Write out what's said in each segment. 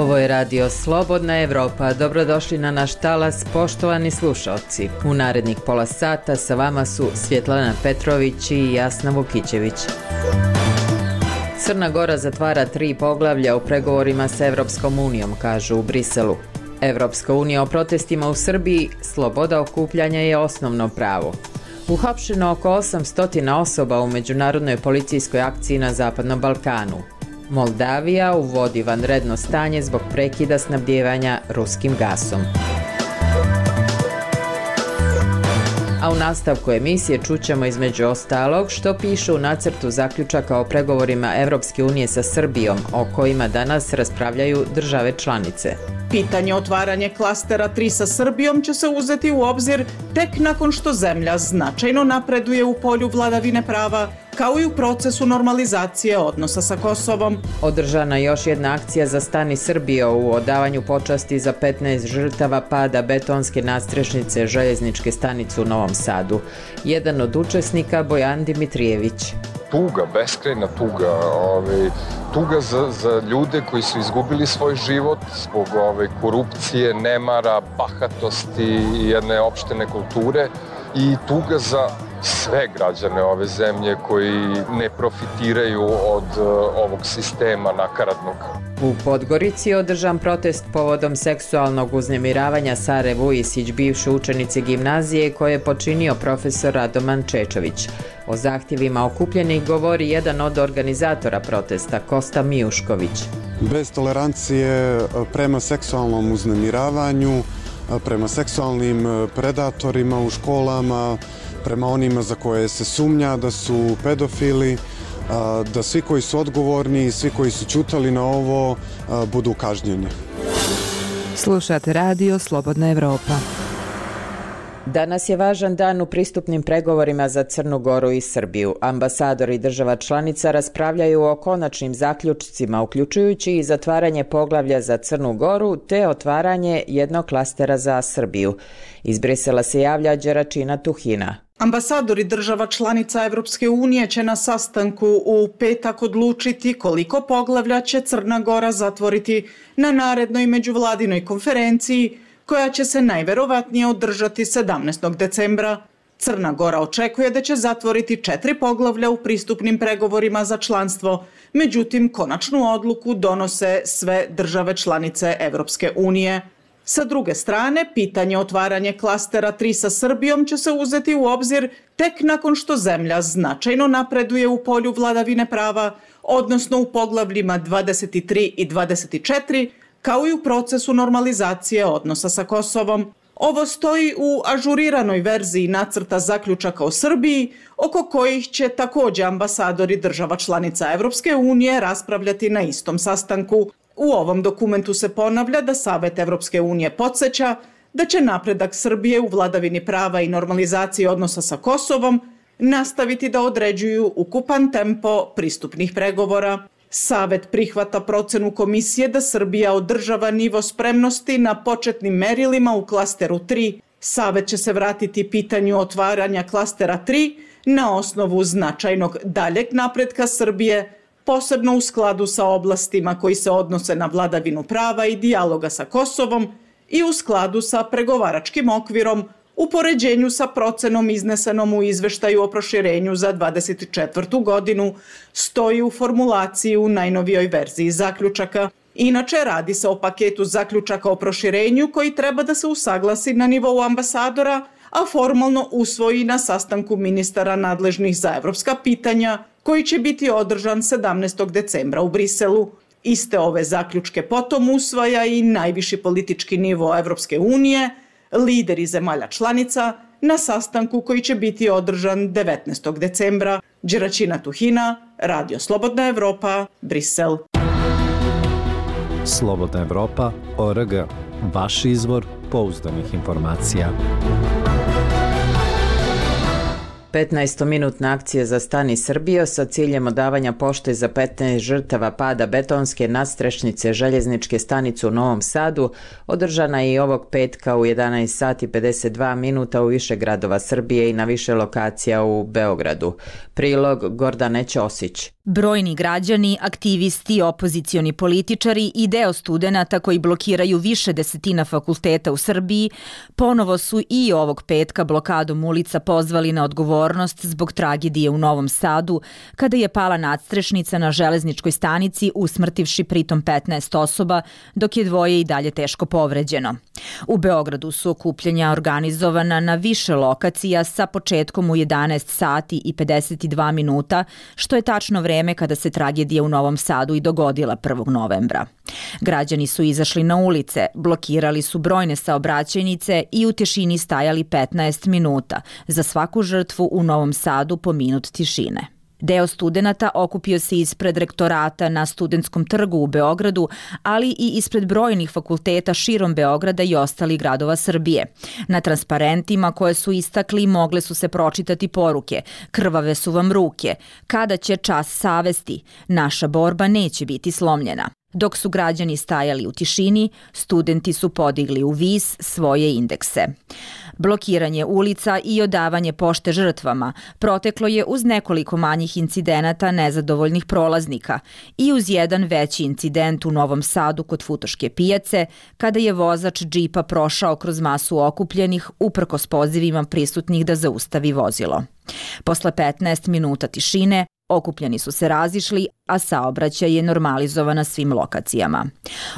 Ovo je radio Slobodna Evropa. Dobrodošli na naš talas, poštovani slušalci. U narednih pola sata sa vama su Svjetlana Petrović i Jasna Vukićević. Crna Gora zatvara 3 poglavlja u pregovorima sa Evropskom unijom, kažu u Briselu. Evropska unija o protestima u Srbiji, sloboda okupljanja je osnovno pravo. Uhapšeno oko 800 osoba u međunarodnoj policijskoj akciji na Zapadnom Balkanu. Moldavija uvodi vanredno stanje zbog prekida snabdijevanja ruskim gasom. A u nastavku emisije čućemo između ostalog što piše u nacrtu zaključaka o pregovorima Evropske unije sa Srbijom, o kojima danas raspravljaju države članice. Pitanje otvaranja klastera 3 sa Srbijom će se uzeti u obzir tek nakon što zemlja značajno napreduje u polju vladavine prava, kao i u procesu normalizacije odnosa sa Kosovom. Održana je još jedna akcija za Stani Srbijo u odavanju počasti za 15 žrtava pada betonske nadstrešnice željezničke stanice u Novom Sadu. Jedan od učesnika Bojan Dimitrijević. Tuga, beskrajna tuga, tuga za ljude koji su izgubili svoj život zbog korupcije, nemara, bahatosti i jedne opšte nekulture i tuga za sve građane ove zemlje koji ne profitiraju od ovog sistema nakaradnog. U Podgorici je održan protest povodom seksualnog uznemiravanja Sare Vujisić, bivše učenice gimnazije koje je počinio profesor Radoman Čečović. O zahtjevima okupljenih govori jedan od organizatora protesta, Kosta Mijušković. Bez tolerancije prema seksualnom uznemiravanju, prema seksualnim predatorima u školama, prema onima za koje se sumnja da su pedofili, da svi koji su odgovorni i svi koji su ćutali na ovo budu kažnjeni. Slušate radio Slobodna Evropa. Danas je važan dan u pristupnim pregovorima za Crnu Goru i Srbiju. Ambasadori država članica raspravljaju o konačnim zaključcima, uključujući i zatvaranje poglavlja za Crnu Goru te otvaranje jednog klastera za Srbiju. Iz Brisela se javlja Đeračina Tuhina. Ambasadori država članica Evropske unije će na sastanku u petak odlučiti koliko poglavlja će Crna Gora zatvoriti na narednoj međuvladinoj konferenciji koja će se najverovatnije održati 17. decembra. Crna Gora očekuje da će zatvoriti 4 poglavlja u pristupnim pregovorima za članstvo, međutim konačnu odluku donose sve države članice Evropske unije. Sa druge strane, pitanje otvaranja klastera 3 sa Srbijom će se uzeti u obzir tek nakon što zemlja značajno napreduje u polju vladavine prava, odnosno u poglavljima 23 i 24, kao i u procesu normalizacije odnosa sa Kosovom. Ovo stoji u ažuriranoj verziji nacrta zaključaka o Srbiji, oko kojih će također ambasadori država članica Evropske unije raspravljati na istom sastanku. U ovom dokumentu se ponavlja da Savet Evropske unije podsjeća da će napredak Srbije u vladavini prava i normalizaciji odnosa sa Kosovom nastaviti da određuju ukupan tempo pristupnih pregovora. Savet prihvata procenu komisije da Srbija održava nivo spremnosti na početnim merilima u klasteru 3. Savet će se vratiti pitanju otvaranja klastera 3 na osnovu značajnog daljeg napretka Srbije, posebno u skladu sa oblastima koji se odnose na vladavinu prava i dijaloga sa Kosovom i u skladu sa pregovaračkim okvirom u poređenju sa procenom iznesenom u izveštaju o proširenju za 2024. godinu, stoji u formulaciji u najnovijoj verziji zaključaka. Inače, radi se o paketu zaključaka o proširenju koji treba da se usaglasi na nivou ambasadora, a formalno usvoji na sastanku ministara nadležnih za evropska pitanja, koji će biti održan 17. decembra u Briselu. Iste ove zaključke potom usvaja i najviši politički nivo Evropske unije, lideri zemalja članica, na sastanku koji će biti održan 19. decembra. Đeračina Tuhina, Radio Slobodna Evropa, Brisel. Slobodna Evropa.org. Vaš izvor pouzdanih informacija. 15-minutna akcija za Stani Srbijo sa ciljem odavanja pošte za 15 žrtava pada betonske nadstrešnice željezničke stanice u Novom Sadu održana je i ovog petka u 11 sati 52 minuta u više gradova Srbije i na više lokacija u Beogradu. Prilog Gordane Ćosić. Brojni građani, aktivisti, opozicioni političari i deo studenata koji blokiraju više desetina fakulteta u Srbiji ponovo su i ovog petka blokadom ulica pozvali na odgovornost zbog tragedije u Novom Sadu kada je pala nadstrešnica na železničkoj stanici usmrtivši pritom 15 osoba, dok je dvoje i dalje teško povređeno. U Beogradu su okupljanja organizovana na više lokacija sa početkom u 11 sati i 52 minuta, što je tačno vreme kada se tragedija u Novom Sadu i dogodila 1. novembra. Građani su izašli na ulice, blokirali su brojne saobraćajnice i u tišini stajali 15 minuta, za svaku žrtvu u Novom Sadu po minut tišine. Deo studenata okupio se ispred rektorata na Studentskom trgu u Beogradu, ali i ispred brojnih fakulteta širom Beograda i ostalih gradova Srbije. Na transparentima koje su istakli mogle su se pročitati poruke: krvave su vam ruke, kada će čas savesti, naša borba neće biti slomljena. Dok su građani stajali u tišini, studenti su podigli u vis svoje indekse. Blokiranje ulica i odavanje pošte žrtvama proteklo je uz nekoliko manjih incidenata nezadovoljnih prolaznika i uz jedan veći incident u Novom Sadu kod Futoške pijace, kada je vozač džipa prošao kroz masu okupljenih uprkos pozivima prisutnih da zaustavi vozilo. Posle 15 minuta tišine, okupljeni su se razišli, a saobraćaj je normalizovan na svim lokacijama.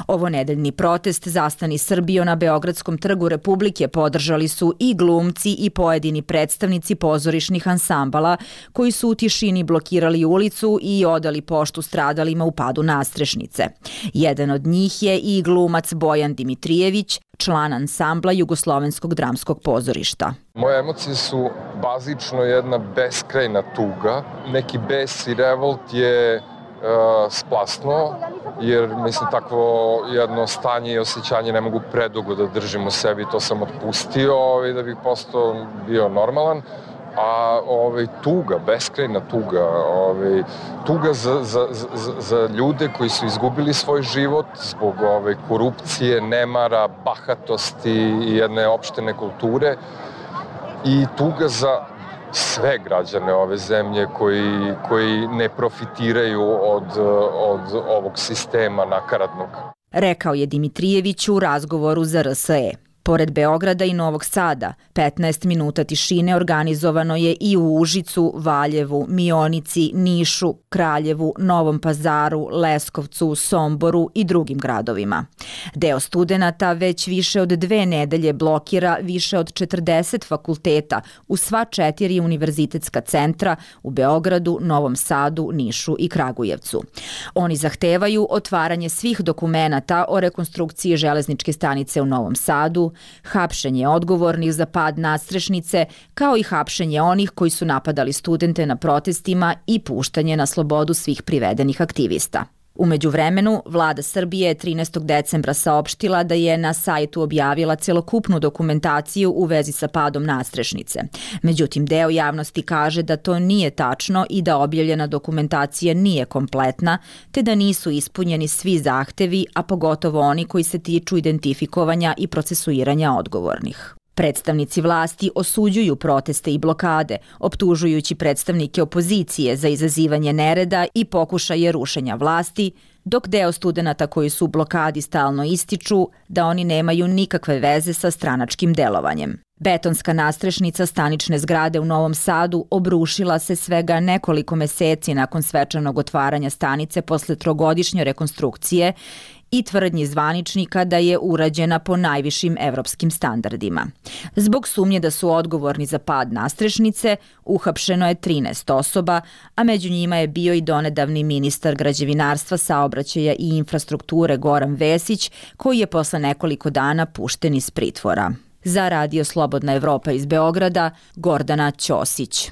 Ovo nedeljni protest Zastani Srbijo na Beogradskom trgu Republike podržali su i glumci i pojedini predstavnici pozorišnih ansambala koji su u tišini blokirali ulicu i odali poštu stradalima u padu nadstrešnice. Jedan od njih je i glumac Bojan Dimitrijević, član ansambla Jugoslovenskog dramskog pozorišta. Moje emocije su bazično jedna beskrajna tuga. Neki bes i revolt je splasno, jer mislim takvo jedno stanje i osjećanje ne mogu predugo da držim u sebi. To sam otpustio da bih postao bio normalan. A tuga, beskrajna tuga, tuga za ljude koji su izgubili svoj život zbog korupcije, nemara, bahatosti i jedne opšte nekulture, i tuga za sve građane ove zemlje koji ne profitiraju od ovog sistema nakaradnog. Rekao je Dimitrijević u razgovoru za RSE. Pored Beograda i Novog Sada, 15 minuta tišine organizovano je i u Užicu, Valjevu, Mionici, Nišu, Kraljevu, Novom Pazaru, Leskovcu, Somboru i drugim gradovima. Deo studenata već više od 2 nedelje blokira više od 40 fakulteta u sva 4 univerzitetska centra u Beogradu, Novom Sadu, Nišu i Kragujevcu. Oni zahtevaju otvaranje svih dokumenata o rekonstrukciji železničke stanice u Novom Sadu, hapšenje odgovornih za pad nadstrešnice, kao i hapšenje onih koji su napadali studente na protestima i puštanje na slobodu svih privedenih aktivista. U međuvremenu, vlada Srbije je 13. decembra saopštila da je na sajtu objavila celokupnu dokumentaciju u vezi sa padom nadstrešnice. Međutim, deo javnosti kaže da to nije tačno i da objavljena dokumentacija nije kompletna, te da nisu ispunjeni svi zahtevi, a pogotovo oni koji se tiču identifikovanja i procesuiranja odgovornih. Predstavnici vlasti osuđuju proteste i blokade, optužujući predstavnike opozicije za izazivanje nereda i pokušaje rušenja vlasti, dok deo studenata koji su u blokadi stalno ističu da oni nemaju nikakve veze sa stranačkim delovanjem. Betonska nadstrešnica stanične zgrade u Novom Sadu obrušila se svega nekoliko meseci nakon svečanog otvaranja stanice posle 3-godišnje rekonstrukcije i tvrdnji zvaničnika da je urađena po najvišim evropskim standardima. Zbog sumnje da su odgovorni za pad nadstrešnice, uhapšeno je 13 osoba, a među njima je bio i donedavni ministar građevinarstva, saobraćaja i infrastrukture Goran Vesić, koji je posle nekoliko dana pušten iz pritvora. Za Radio Slobodna Evropa iz Beograda, Gordana Ćosić.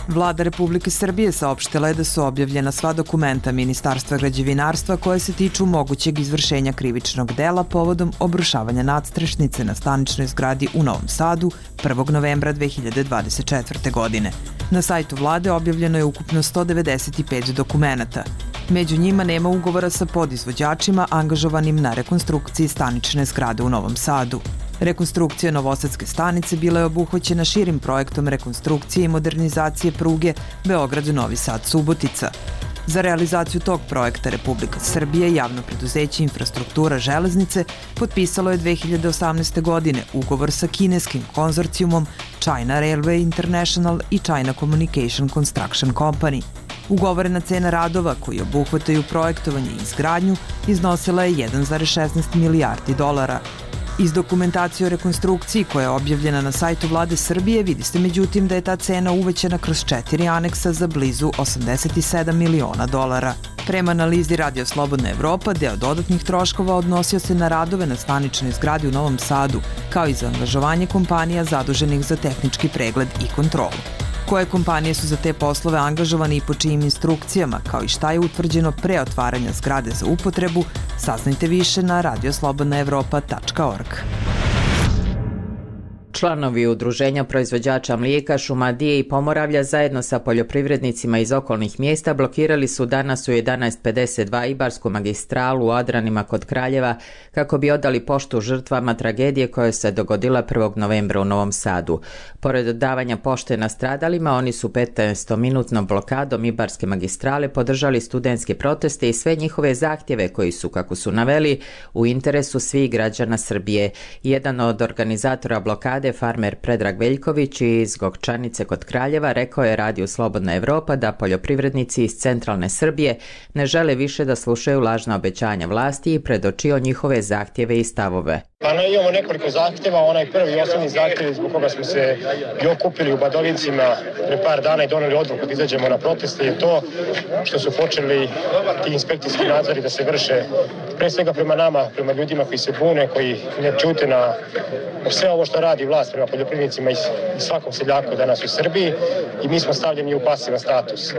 Vlada Republike Srbije saopštila je da su objavljena sva dokumenta Ministarstva građevinarstva koje se tiču mogućeg izvršenja krivičnog dela povodom obrušavanja nadstrešnice na staničnoj zgradi u Novom Sadu 1. novembra 2024. godine. Na sajtu vlade objavljeno je ukupno 195 dokumenata. Među njima nema ugovora sa podizvođačima angažovanim na rekonstrukciji stanične zgrade u Novom Sadu. Rekonstrukcija Novosadske stanice bila je obuhvaćena širim projektom rekonstrukcije i modernizacije pruge Beograd-Novi Sad-Subotica. Za realizaciju tog projekta Republika Srbija i javno preduzeće Infrastruktura železnice potpisalo je 2018. godine ugovor sa kineskim konzorcijumom China Railway International i China Communication Construction Company. Ugovorena cena radova koji obuhvataju projektovanje i izgradnju iznosila je 1,16 milijardi dolara. Iz dokumentacije o rekonstrukciji koja je objavljena na sajtu Vlade Srbije vidi se međutim da je ta cena uvećana kroz 4 aneksa za blizu 87 miliona dolara. Prema analizi Radio Slobodna Evropa, deo dodatnih troškova odnosio se na radove na staničnoj zgradi u Novom Sadu, kao i za angažovanje kompanija zaduženih za tehnički pregled i kontrolu. Koje kompanije su za te poslove angažovane i po čijim instrukcijama, kao i šta je utvrđeno pre otvaranja zgrade za upotrebu, saznajte više na radioslobodnaevropa.org. Članovi Udruženja proizvođača mlijeka, Šumadije i Pomoravlja zajedno sa poljoprivrednicima iz okolnih mjesta blokirali su danas u 11:52 Ibarsku magistralu u Adranima kod Kraljeva kako bi odali poštu žrtvama tragedije koja se dogodila 1. novembra u Novom Sadu. Pored davanja pošte nastradalima, oni su 15-minutnom blokadom Ibarske magistrale podržali studentske proteste i sve njihove zahtjeve koji su, kako su naveli, u interesu svih građana Srbije. Jedan od organizatora blokade, farmer Predrag Veljković iz Gokčanice kod Kraljeva, rekao je Radiju Slobodna Evropa da poljoprivrednici iz centralne Srbije ne žele više da slušaju lažna obećanja vlasti i predočio njihove zahtjeve i stavove. Imamo nekoliko zahtjeva, onaj prvi i osnovni zahtjev zbog koga smo se i okupili u Badovincima pre par dana i doneli odluku da izađemo na proteste je to što su počeli ti inspekcijski nadzori da se vrše pre svega prema nama, prema ljudima koji se bune, koji ne čute na sve ovo što radi vlast prema poljoprivrednicima i svakom seljaku danas u Srbiji i mi smo stavljeni u pasivan status.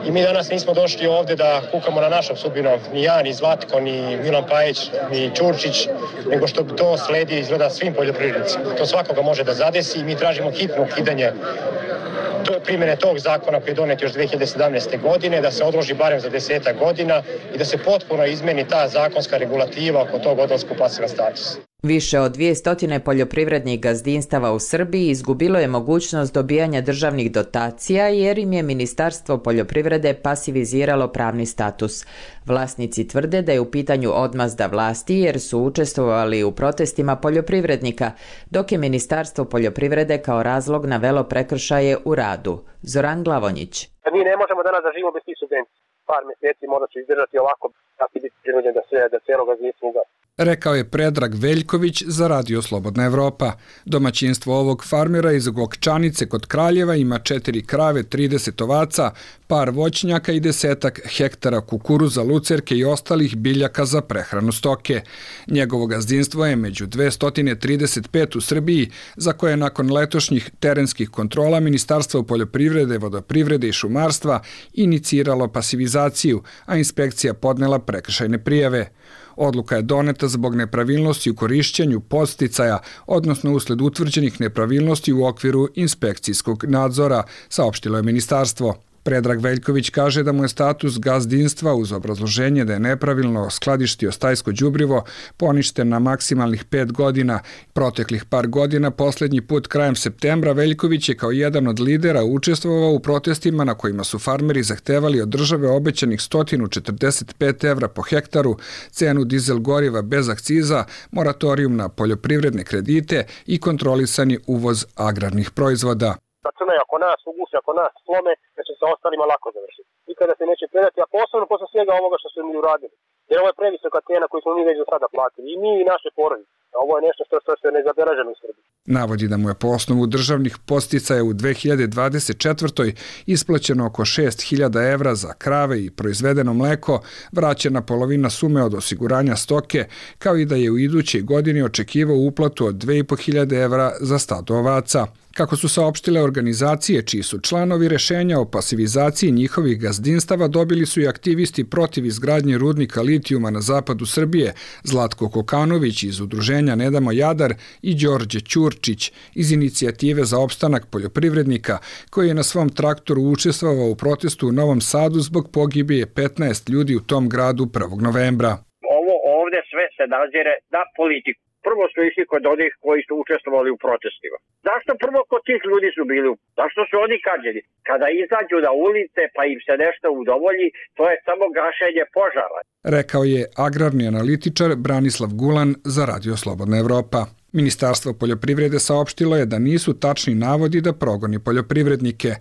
I mi danas nismo došli ovde da kukamo na našom sudbinom, ni ja, ni Zlatko, ni Milan Pajić, ni Ćurčić, nego što to sledi izgleda svim poljoprivrednicima. To svakoga može da zadesi i mi tražimo hitno ukidanje primjene tog zakona koji je donet još 2017. godine, da se odloži barem za 10 godina i da se potpuno izmeni ta zakonska regulativa oko tog odlaska u pasivan status. Više od 200 poljoprivrednih gazdinstava u Srbiji izgubilo je mogućnost dobijanja državnih dotacija jer im je Ministarstvo poljoprivrede pasiviziralo pravni status. Vlasnici tvrde da je u pitanju odmazda vlasti jer su učestvovali u protestima poljoprivrednika, dok je Ministarstvo poljoprivrede kao razlog navelo prekršaje u radu. Zoran Glavonjić. Mi ne možemo danas da živimo bez tih subvencija. Par mjeseci možda ću izdržati ovako, da će biti prinuđen da cijelo gazdinstvo ugasi. Rekao je Predrag Veljković za Radio Slobodna Evropa. Domaćinstvo ovog farmera iz Gokčanice kod Kraljeva ima 4 krave, 30 ovaca, par voćnjaka i 10 hektara kukuruza, lucerke i ostalih biljaka za prehranu stoke. Njegovo gazdinstvo je među 235 u Srbiji, za koje nakon letošnjih terenskih kontrola Ministarstvo poljoprivrede, vodoprivrede i šumarstva iniciralo pasivizaciju, a inspekcija podnela prekršajne prijave. Odluka je doneta zbog nepravilnosti u korišćenju podsticaja, odnosno usled utvrđenih nepravilnosti u okviru inspekcijskog nadzora, saopštilo je ministarstvo. Predrag Veljković kaže da mu je status gazdinstva uz obrazloženje da je nepravilno skladištio stajsko đubrivo poništen na maksimalnih 5 godina. Proteklih par godina, posljednji put krajem septembra, Veljković je kao jedan od lidera učestvovao u protestima na kojima su farmeri zahtevali od države obećanih 145 evra po hektaru, cenu dizel goriva bez akciza, moratorijum na poljoprivredne kredite i kontrolisani uvoz agrarnih proizvoda. Računaju ako nas uguše, ako nas slome, da će se ostalima lako završiti. Nikada se neće predati, a posebno posle svega ovoga što su mi uradili. Jer ovo je previsoka cena koju smo mi već do sada platili. I mi i naše porodice. Ovo je nešto što se ne zabeleženo u Srbiji. Navodi da mu je po osnovu državnih podsticaja u 2024. isplaćeno oko 6.000 evra za krave i proizvedeno mleko, vraćena polovina sume od osiguranja stoke, kao i da je u idućoj godini očekivao uplatu od 2.500 evra za stado ovaca. Kako su saopštile organizacije čiji su članovi, rešenja o pasivizaciji njihovih gazdinstava dobili su i aktivisti protiv izgradnje rudnika litijuma na zapadu Srbije, Zlatko Kokanović iz udruženja Ne damo Jadar i Đorđe Ćurčić iz inicijative za opstanak poljoprivrednika, koji je na svom traktoru učestvovao u protestu u Novom Sadu zbog pogibije 15 ljudi u tom gradu 1. novembra. Ovo ovde sve se nazire na politiku. prvo su išli kod onih koji su učestvovali u protestima. Zašto prvo kod tih ljudi su bili? Zašto su oni kažnjeni? Kada izađu na ulice pa im se nešto udovolji, to je samo gašenje požara. Rekao je agrarni analitičar Branislav Gulan za Radio Slobodna Evropa. Ministarstvo poljoprivrede saopštilo je da nisu tačni navodi da progoni poljoprivrednike.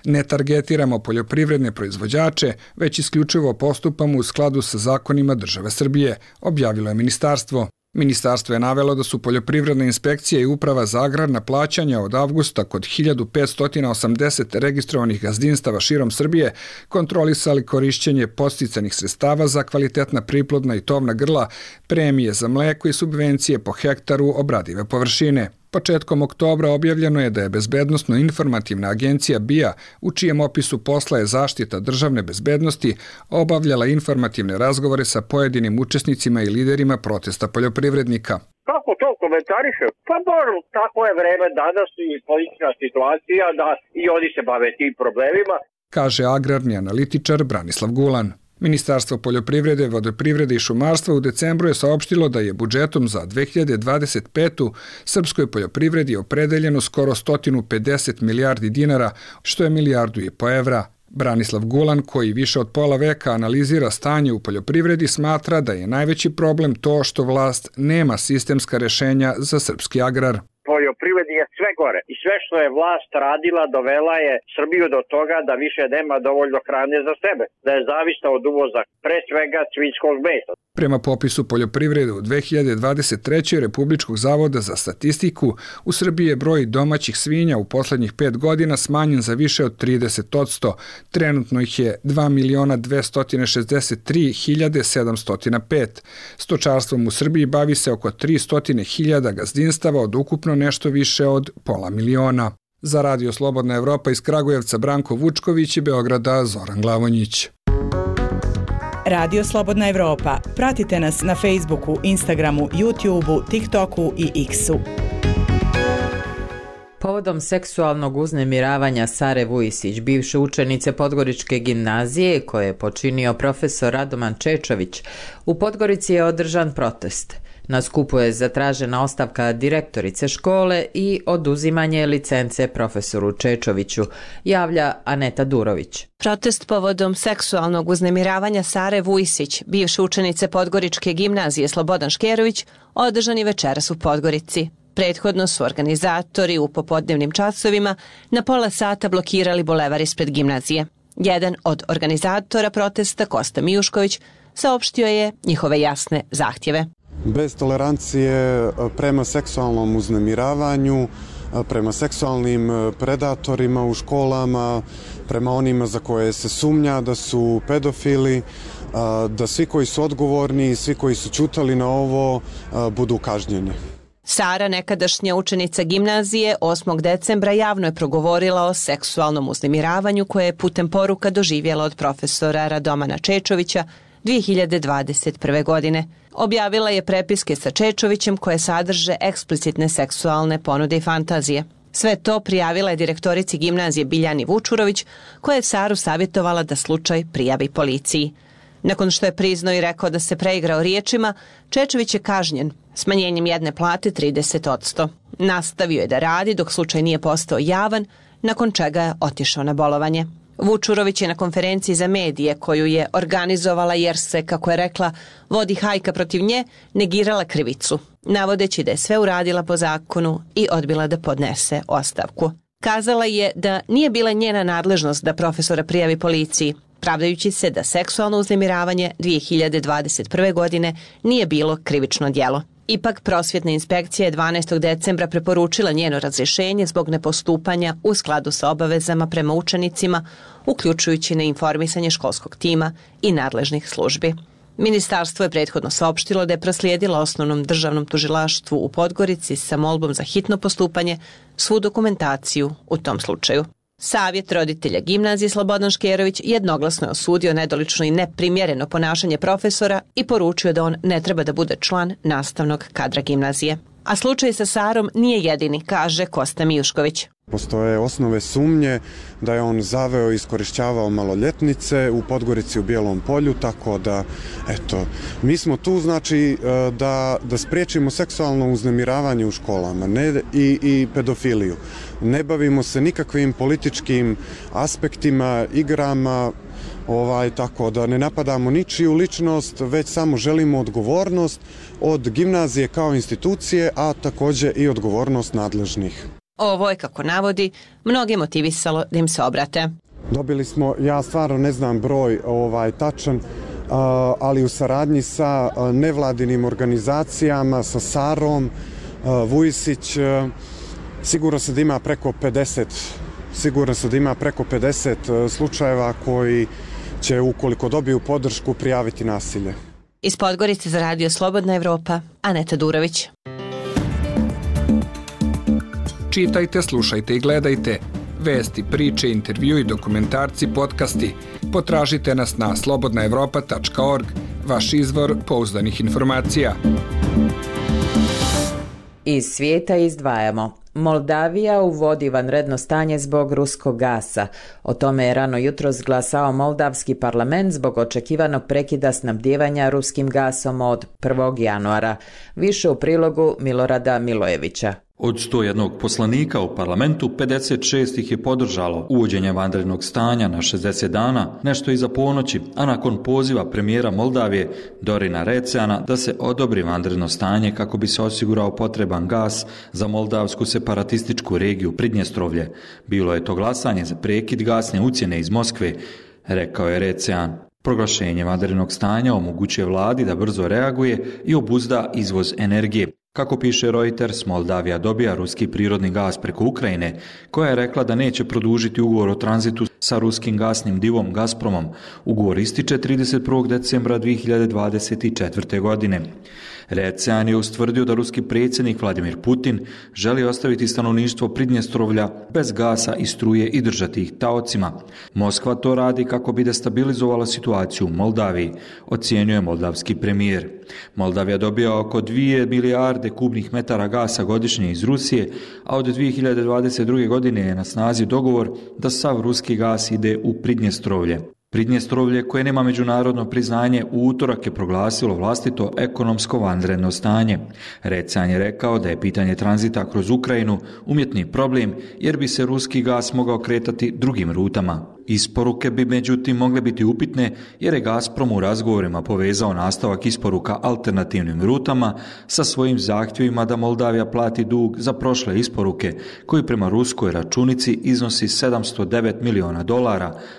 Ne targetiramo poljoprivredne proizvođače, već isključivo postupamo u skladu sa zakonima države Srbije, objavilo je ministarstvo. Ministarstvo je navelo da su poljoprivredna inspekcija i uprava za agrarna plaćanja od avgusta kod 1580 registrovanih gazdinstava širom Srbije kontrolisali korišćenje podsticanih sredstava za kvalitetna priplodna i tovna grla, premije za mleko i subvencije po hektaru obradive površine. Početkom oktobra objavljeno je da je Bezbednosno-informativna agencija BIA, u čijem opisu posla je zaštita državne bezbednosti, obavljala informativne razgovore sa pojedinim učesnicima i liderima protesta poljoprivrednika. Kako to komentariše? Pa dobro, tako je vreme danas i politička situacija da i oni se bave tim problemima, kaže agrarni analitičar Branislav Gulan. Ministarstvo poljoprivrede, vodoprivrede i šumarstva u decembru je saopštilo da je budžetom za 2025. srpskoj poljoprivredi opredeljeno skoro 150 milijardi dinara, što je 1,5 milijardi evra. Branislav Gulan, koji više od pola veka analizira stanje u poljoprivredi, smatra da je najveći problem to što vlast nema sistemska rešenja za srpski agrar. Poljoprivredi je sve gore i sve što je vlast radila dovela je Srbiju do toga da više nema dovoljno hrane za sebe, da je zavisna od uvoza, pre svega svinjskog mesa. Prema popisu poljoprivrede u 2023. Republičkog zavoda za statistiku, u Srbiji je broj domaćih svinja u poslednjih 5 godina smanjen za više od 30%. Trenutno ih je 2.263.705. Stočarstvom u Srbiji bavi se oko 300.000 gazdinstava od ukupno nešto više od 500.000. Za Radio Slobodna Evropa iz Kragujevca Branko Vučković i Beograda Zoran Glavonjić. Radio Slobodna Evropa. Pratite nas na Facebooku, Instagramu, YouTubeu, TikToku i X-u. Povodom seksualnog uznemiravanja Sare Vujisić, bivše učenice Podgoričke gimnazije, koje je počinio profesor Radoman Čečović, u Podgorici je održan protest. Na skupu je zatražena ostavka direktorice škole i oduzimanje licence profesoru Čečoviću, javlja Aneta Durović. Protest povodom seksualnog uznemiravanja Sare Vujisić, bivše učenice Podgoričke gimnazije Slobodan Škerović, održan je večeras u Podgorici. Prethodno su organizatori u popodnevnim časovima na pola sata blokirali bulevar ispred gimnazije. Jedan od organizatora protesta, Kosta Mijušković, saopštio je njihove jasne zahtjeve. Bez tolerancije prema seksualnom uznemiravanju, prema seksualnim predatorima u školama, prema onima za koje se sumnja da su pedofili, da svi koji su odgovorni i svi koji su ćutali na ovo budu kažnjeni. Sara, nekadašnja učenica gimnazije, 8. decembra javno je progovorila o seksualnom uznemiravanju koje je putem poruka doživjela od profesora Radomana Čečovića 2021. godine. Objavila je prepiske sa Čečovićem koje sadrže eksplicitne seksualne ponude i fantazije. Sve to prijavila je direktorici gimnazije Biljani Vučurović, koja je Saru savjetovala da slučaj prijavi policiji. Nakon što je priznao i rekao da se preigrao riječima, Čečović je kažnjen smanjenjem jedne plate 30%. Nastavio je da radi dok slučaj nije postao javan, nakon čega je otišao na bolovanje. Vučurović je na konferenciji za medije koju je organizovala jer se, kako je rekla, vodi hajka protiv nje, negirala krivicu, navodeći da je sve uradila po zakonu i odbila da podnese ostavku. Kazala je da nije bila njena nadležnost da profesora prijavi policiji, pravdajući se da seksualno uznemiravanje 2021. godine nije bilo krivično djelo. Ipak, prosvjetna inspekcija je 12. decembra preporučila njeno razrješenje zbog nepostupanja u skladu sa obavezama prema učenicima, uključujući neinformisanje školskog tima i nadležnih službi. Ministarstvo je prethodno saopštilo da je proslijedilo Osnovnom državnom tužilaštvu u Podgorici sa molbom za hitno postupanje svu dokumentaciju u tom slučaju. Savjet roditelja gimnazije Slobodan Škerović jednoglasno je osudio nedolično i neprimjereno ponašanje profesora i poručio da on ne treba da bude član nastavnog kadra gimnazije. A slučaj sa Sarom nije jedini, kaže Kosta Mijušković. Postoje osnove sumnje da je on zaveo i iskorišćavao maloljetnice u Podgorici u Bijelom polju, tako da, eto, mi smo tu, znači, da spriječimo seksualno uznemiravanje u školama i pedofiliju. Ne bavimo se nikakvim političkim aspektima, igrama, tako da ne napadamo ničiju ličnost, već samo želimo odgovornost od gimnazije kao institucije, a također i odgovornost nadležnih. Ovo je, kako navodi, mnoge motivisalo da im se obrate. Dobili smo, ja stvarno ne znam broj tačan, ali u saradnji sa nevladinim organizacijama, sa Sarom, Vujisić, sigurno se da ima preko 50 slučajeva koji će, ukoliko dobiju podršku, prijaviti nasilje. Iz Podgorice za Radio Slobodna Evropa, Aneta Durović. Čitajte, slušajte i gledajte. Vesti, priče, intervju i dokumentarci, podcasti. Potražite nas na slobodnaevropa.org, vaš izvor pouzdanih informacija. Iz svijeta izdvajamo. Moldavija uvodi vanredno stanje zbog ruskog gasa. O tome je rano jutros glasao Moldavski parlament zbog očekivanog prekida snabdijevanja ruskim gasom od 1. januara. Više u prilogu Milorada Milojevića. Od 101 poslanika u parlamentu, 56 ih je podržalo uvođenje vanrednog stanja na 60 dana, nešto iza ponoći, a nakon poziva premijera Moldavije Dorina Receana da se odobri vanredno stanje kako bi se osigurao potreban gas za moldavsku separatističku regiju Pridnjestrovlje. Bilo je to glasanje za prekid gasne ucjene iz Moskve, rekao je Recean. Proglašenje vanrednog stanja omogućuje vladi da brzo reaguje i obuzda izvoz energije. Kako piše Reuters, Moldavija dobija ruski prirodni gas preko Ukrajine, koja je rekla da neće produžiti ugovor o tranzitu sa ruskim gasnim divom Gazpromom. Ugovor ističe 31. decembra 2024. godine. Recean je ustvrdio da ruski predsjednik Vladimir Putin želi ostaviti stanovništvo Pridnjestrovlja bez gasa i struje i držati ih taocima. Moskva to radi kako bi destabilizovala situaciju u Moldaviji, ocjenjuje moldavski premijer. Moldavija dobija oko 2 milijarde kubnih metara gasa godišnje iz Rusije, a od 2022. godine je na snazi dogovor da sav ruski gas ide u Pridnjestrovlje. Pridnjestrovlje, koje nema međunarodno priznanje, u utorak je proglasilo vlastito ekonomsko vanredno stanje. Recean je rekao da je pitanje tranzita kroz Ukrajinu umjetni problem jer bi se ruski gas mogao kretati drugim rutama. Isporuke bi međutim mogle biti upitne jer je Gazprom u razgovorima povezao nastavak isporuka alternativnim rutama sa svojim zahtjevima da Moldavija plati dug za prošle isporuke koji prema ruskoj računici iznosi $709 miliona,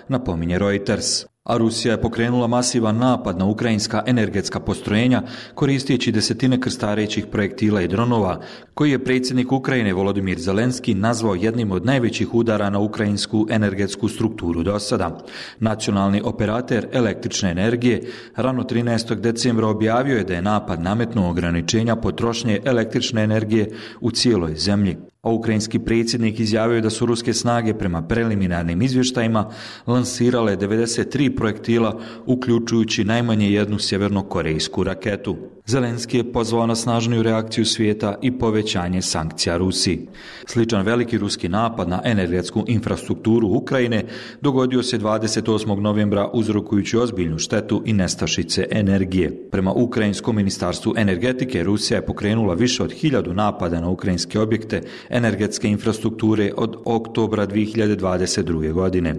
napominje Reuters. A Rusija je pokrenula masivan napad na ukrajinska energetska postrojenja koristeći desetine krstarećih projektila i dronova, koji je predsjednik Ukrajine Volodimir Zelenski nazvao jednim od najvećih udara na ukrajinsku energetsku strukturu do sada. Nacionalni operater električne energije rano 13. decembra objavio je da je napad nametnuo ograničenja potrošnje električne energije u cijeloj zemlji. A ukrajinski predsjednik izjavio da su ruske snage prema preliminarnim izvještajima lansirale 93 projektila, uključujući najmanje jednu sjevernokorejsku raketu. Zelenski je pozvao na snažniju reakciju svijeta i povećanje sankcija Rusiji. Sličan veliki ruski napad na energetsku infrastrukturu Ukrajine dogodio se 28. novembra uzrokujući ozbiljnu štetu i nestašice energije. Prema Ukrajinskom ministarstvu energetike, Rusija je pokrenula više od 1000 napada na ukrajinske objekte energetske infrastrukture od oktobra 2022. godine.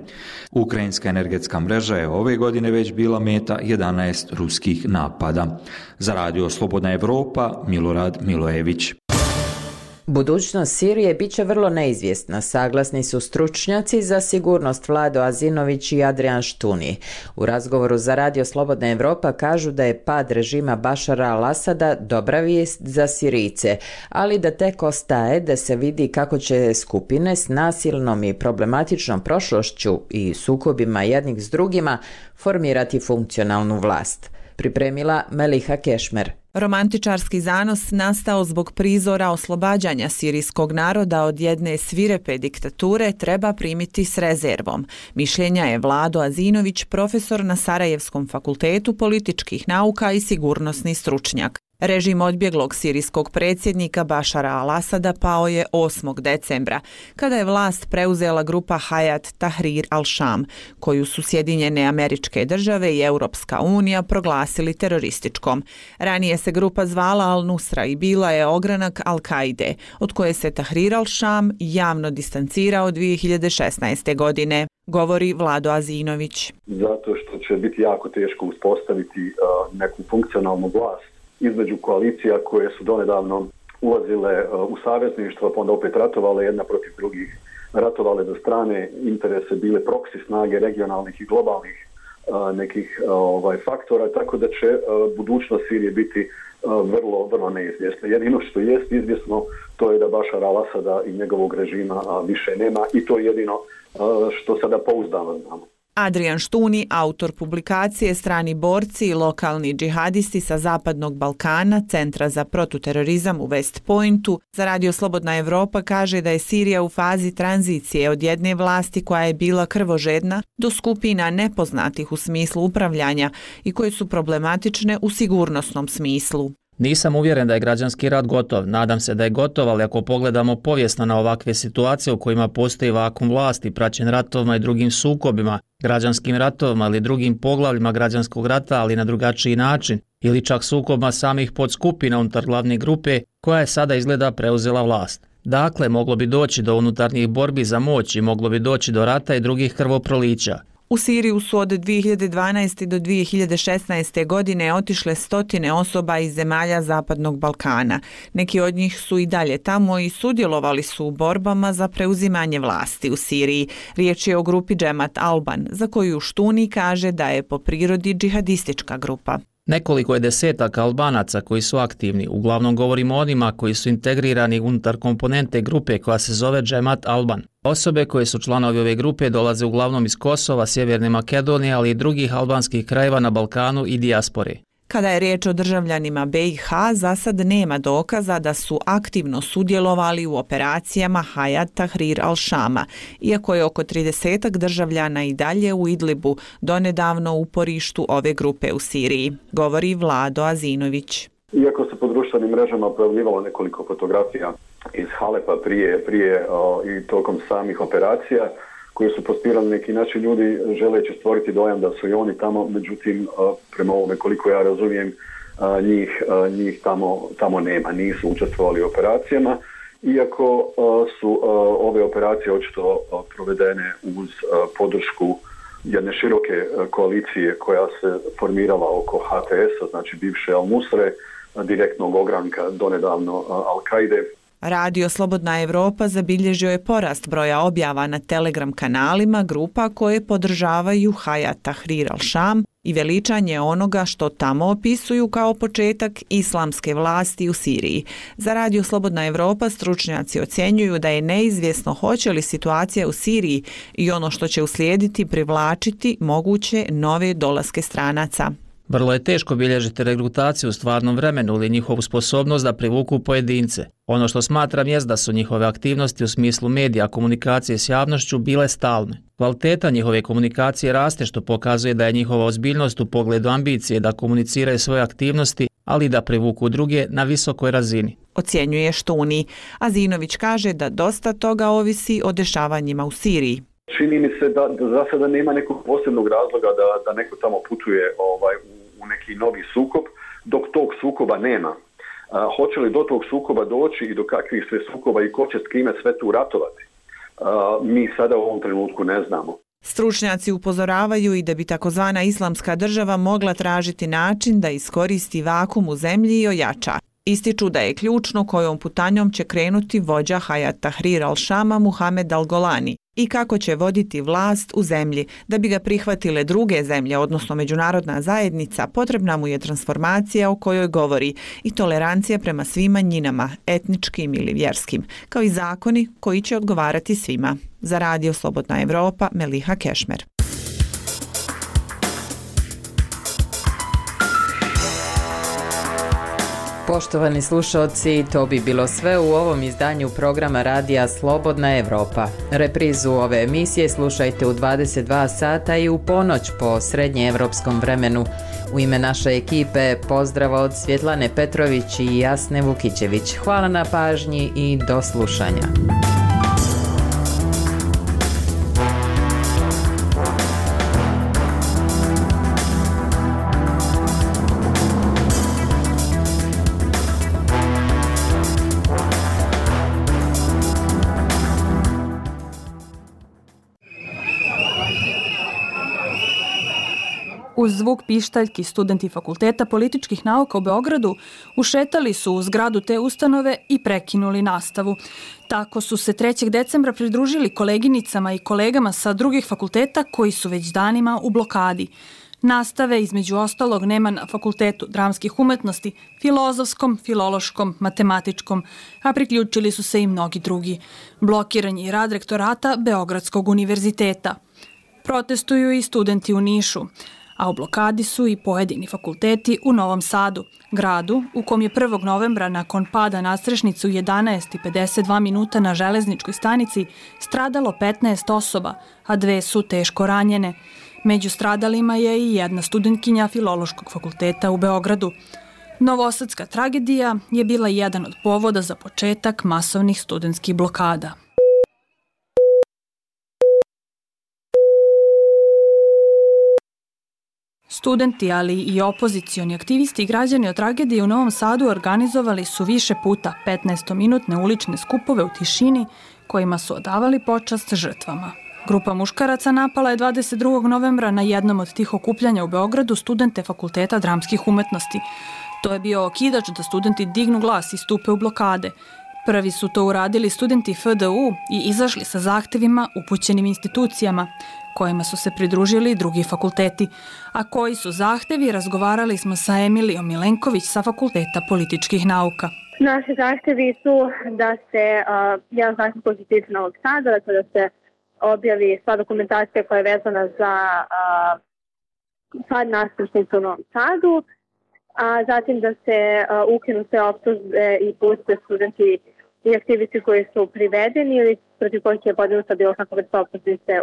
Ukrajinska energetska mreža je ove godine već bila meta 11 ruskih napada. Za Radio Slobodna Evropa, Milorad Milojević. Budućnost Sirije bit će vrlo neizvjesna, saglasni su stručnjaci za sigurnost Vlado Azinović i Adrian Štuni. U razgovoru za Radio Slobodna Evropa kažu da je pad režima Bašara al-Asada dobra vijest za Sirijce, ali da tek ostaje da se vidi kako će skupine s nasilnom i problematičnom prošlošću i sukobima jednih s drugima formirati funkcionalnu vlast. Pripremila Meliha Kešmer. Romantičarski zanos nastao zbog prizora oslobađanja sirijskog naroda od jedne svirepe diktature treba primiti s rezervom. Mišljenja je Vlado Azinović, profesor na Sarajevskom fakultetu političkih nauka i sigurnosni stručnjak. Režim odbjeglog sirijskog predsjednika Bašara al-Asada pao je 8. decembra, kada je vlast preuzela grupa Hayat Tahrir al-Sham, koju su Sjedinjene Američke Države i Europska unija proglasili terorističkom. Ranije se grupa zvala Al-Nusra i bila je ogranak Al-Kaide, od koje se Tahrir al-Sham javno distancirao 2016. godine, govori Vlado Azinović. Zato što će biti jako teško uspostaviti neku funkcionalnu vlast između koalicija koje su donedavno ulazile u savezništvo, pa onda opet ratovale jedna protiv drugih, ratovale za strane interese, bile proksi snage regionalnih i globalnih nekih faktora, tako da će budućnost Sirije biti vrlo neizvjesna. Jedino što jest izvjesno, to je da Bašar al-Asada i njegovog režima više nema i to je jedino što sada pouzdano znamo. Adrian Štuni, autor publikacije Strani borci i lokalni džihadisti sa Zapadnog Balkana, Centra za protuterorizam u West Pointu, za Radio Slobodna Evropa kaže da je Sirija u fazi tranzicije od jedne vlasti koja je bila krvožedna do skupina nepoznatih u smislu upravljanja i koje su problematične u sigurnosnom smislu. Nisam uvjeren da je građanski rat gotov, nadam se da je gotov, ali ako pogledamo povijesno na ovakve situacije u kojima postoji vakum vlasti, praćen ratovima i drugim sukobima, građanskim ratovima ili drugim poglavljima građanskog rata, ali na drugačiji način, ili čak sukobima samih podskupina unutar glavne grupe koja je sada izgleda preuzela vlast. Dakle, moglo bi doći do unutarnjih borbi za moć i moglo bi doći do rata i drugih krvoprolića. U Siriju su od 2012. do 2016. godine otišle stotine osoba iz zemalja Zapadnog Balkana. Neki od njih su i dalje tamo i sudjelovali su u borbama za preuzimanje vlasti u Siriji. Riječ je o grupi Džemat Alban, za koju Štuni kaže da je po prirodi džihadistička grupa. Nekoliko je desetaka Albanaca koji su aktivni, uglavnom govorimo o onima koji su integrirani unutar komponente grupe koja se zove Džemat Alban. Osobe koje su članovi ove grupe dolaze uglavnom iz Kosova, Sjeverne Makedonije, ali i drugih albanskih krajeva na Balkanu i dijaspore. Kada je riječ o državljanima BiH, za sad nema dokaza da su aktivno sudjelovali u operacijama Hayat Tahrir al-Shama, iako je oko 30 državljana i dalje u Idlibu, donedavno u uporištu ove grupe u Siriji, govori Vlado Azinović. Iako se po društvenim mrežama pojavljivalo nekoliko fotografija iz Halepa prije i tokom samih operacija, koji su postirali neki naši ljudi želeći stvoriti dojam da su i oni tamo, međutim, prema ovome koliko ja razumijem, njih tamo nema, nisu učestvovali u operacijama, iako su ove operacije očito provedene uz podršku jedne široke koalicije koja se formirala oko HTS-a, znači bivše Al-Nusre, direktnog ogranka donedavno Al-Kaide. Radio Slobodna Evropa zabilježio je porast broja objava na Telegram kanalima grupa koje podržavaju Hayat Tahrir al-Sham i veličanje onoga što tamo opisuju kao početak islamske vlasti u Siriji. Za Radio Slobodna Evropa stručnjaci ocjenjuju da je neizvjesno hoće li situacija u Siriji i ono što će uslijediti privlačiti moguće nove dolaske stranaca. Vrlo je teško bilježiti regrutaciju u stvarnom vremenu ili njihovu sposobnost da privuku pojedince. Ono što smatram jest da su njihove aktivnosti u smislu medija, komunikacije s javnošću bile stalne. Kvaliteta njihove komunikacije raste što pokazuje da je njihova ozbiljnost u pogledu ambicije da komuniciraju svoje aktivnosti, ali i da privuku druge na visokoj razini. Ocjenjuje Štuni. Azinović kaže da dosta toga ovisi o dešavanjima u Siriji. Čini mi se da za sada nema nekog posebnog razloga da neko tamo putuje u neki novi sukob, dok tog sukoba nema. Hoće li do tog sukoba doći i do kakvih sve sukoba i ko će s kime sve tu ratovati? Mi sada u ovom trenutku ne znamo. Stručnjaci upozoravaju i da bi takozvana islamska država mogla tražiti način da iskoristi vakum u zemlji i ojača. Ističu da je ključno kojom putanjom će krenuti vođa Hayat Tahrir al-Shama Muhamed al-Golani i kako će voditi vlast u zemlji. Da bi ga prihvatile druge zemlje, odnosno međunarodna zajednica, potrebna mu je transformacija o kojoj govori i tolerancija prema svim manjinama, etničkim ili vjerskim, kao i zakoni koji će odgovarati svima. Za Radio Slobodna Evropa, Meliha Kešmer. Poštovani slušalci, to bi bilo sve u ovom izdanju programa radija Slobodna Evropa. Reprizu ove emisije slušajte u 22 sata i u ponoć po srednjeevropskom vremenu. U ime naše ekipe pozdrav od Svjetlane Petrović i Jasne Vukićević. Hvala na pažnji i do slušanja. Uz zvuk pištaljki studenti Fakulteta političkih nauka u Beogradu ušetali su u zgradu te ustanove i prekinuli nastavu. Tako su se 3. decembra pridružili koleginicama i kolegama sa drugih fakulteta koji su već danima u blokadi. Nastave, između ostalog, nema na Fakultetu dramskih umetnosti, filozofskom, filološkom, matematičkom, a priključili su se i mnogi drugi. Blokiran je rad rektorata Beogradskog univerziteta. Protestuju i studenti u Nišu, a u blokadi su i pojedini fakulteti u Novom Sadu, gradu u kom je 1. novembra nakon pada nadstrešnice u 11:52 minuta na železničkoj stanici stradalo 15 osoba, a 2 su teško ranjene. Među stradalima je i jedna studentkinja Filološkog fakulteta u Beogradu. Novosadska tragedija je bila jedan od povoda za početak masovnih studentskih blokada. Studenti, ali i opozicioni aktivisti i građani od tragedije u Novom Sadu organizovali su više puta 15-minutne ulične skupove u tišini kojima su odavali počast žrtvama. Grupa muškaraca napala je 22. novembra na jednom od tih okupljanja u Beogradu studente Fakulteta dramskih umetnosti. To je bio okidač da studenti dignu glas i stupe u blokade. Prvi su to uradili studenti FDU i izašli sa zahtevima upućenim institucijama, kojima su se pridružili drugi fakulteti. A koji su zahtevi, razgovarali smo sa Emilijom Milenković sa Fakulteta političkih nauka. Naši zahtevi su da se jedan zahtev koji se tiče Novog Sada, dakle da se objavi sva dokumentacija koja je vezana za pad nadstrešnice u Novom Sadu, a zatim da se ukinu sve optužbe i puste studenti i aktivisti koji su privedeni ili protiv kojih je podinuta bilo kakva vrsta optužnice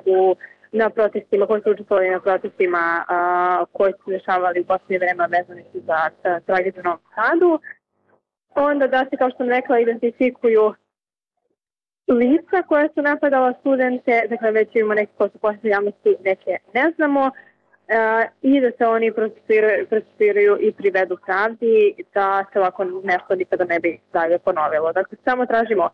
na protestima, koji su učestvovali na protestima koji su dešavali u posljednje vreme vezani za tragediju u Novom Sadu. Onda da se, kao što sam rekla, identifikuju lica koja su napadala studente, dakle već imamo neke koje su posljednje javnosti, neke ne znamo, i da se oni procesuiraju i privedu pravdi, da se ovako nešto nikada ne bi dalje ponovilo. Dakle, samo tražimo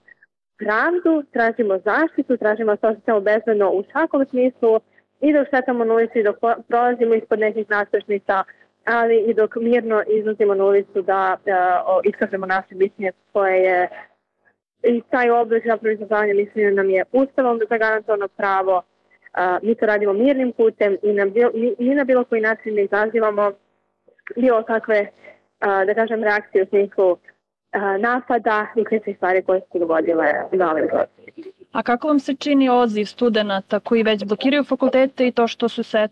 pravdu, tražimo zaštitu, tražimo se osjećamo bezbedno u svakom smislu i dok šetamo na ulici, dok prolazimo ispod nekih nadstrešnica, ali i dok mirno izlazimo na ulicu da iskažemo naše mišljenje koje je i taj oblik zapravo izražavanja mišljenja nam je ustavom zagarantovano pravo. Mi to radimo mirnim putem i na bilo koji način ne izazivamo bilo kakve, da kažem, reakcije u smislu napada i kričnih stvari koje su dogodile na ovim procesima. A kako vam se čini odziv studenta koji već blokiraju fakultete i to što su se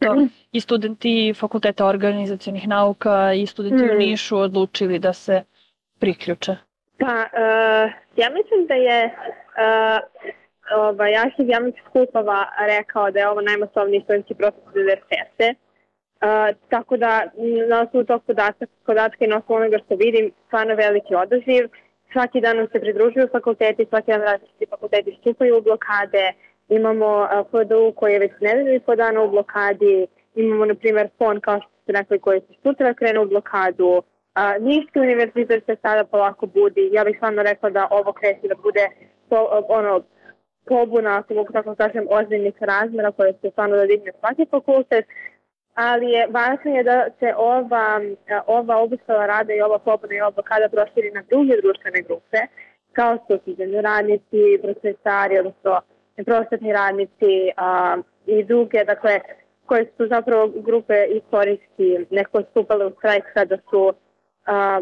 i studenti Fakulteta organizacionih nauka i studenti u Nišu odlučili da se priključe? Pa, ja mislim da je arhiv javnih skupova rekao da je ovo najmasovniji studentski protest u 1990. Tako da na osnovu tog podatka i na osnovu onoga što vidim, stvarno veliki odaziv. Svaki dan nam se pridružuju fakulteti, svaki dan različiti fakulteti stupaju u blokade. Imamo FDU koji je već nedelju i po dana u blokadi. Imamo, na primjer, FON, kao što ste rekli, koji se sutra krenu u blokadu. Niški univerzitet se sada polako budi. Ja bih stvarno rekla da ovo kreće da bude pobuna, ako mogu tako kažem, ozbiljnih razmjera koje se stvarno da digne svaki fakultet. Ali važno je da se ova obustava rada i ova pobuna i ova blokada proširi na druge društvene grupe, kao su studentski radnici, prosvetari, odnosno prosvetni radnici i druge, dakle, koje su zapravo grupe istorijski neko stupale u štrajk kada su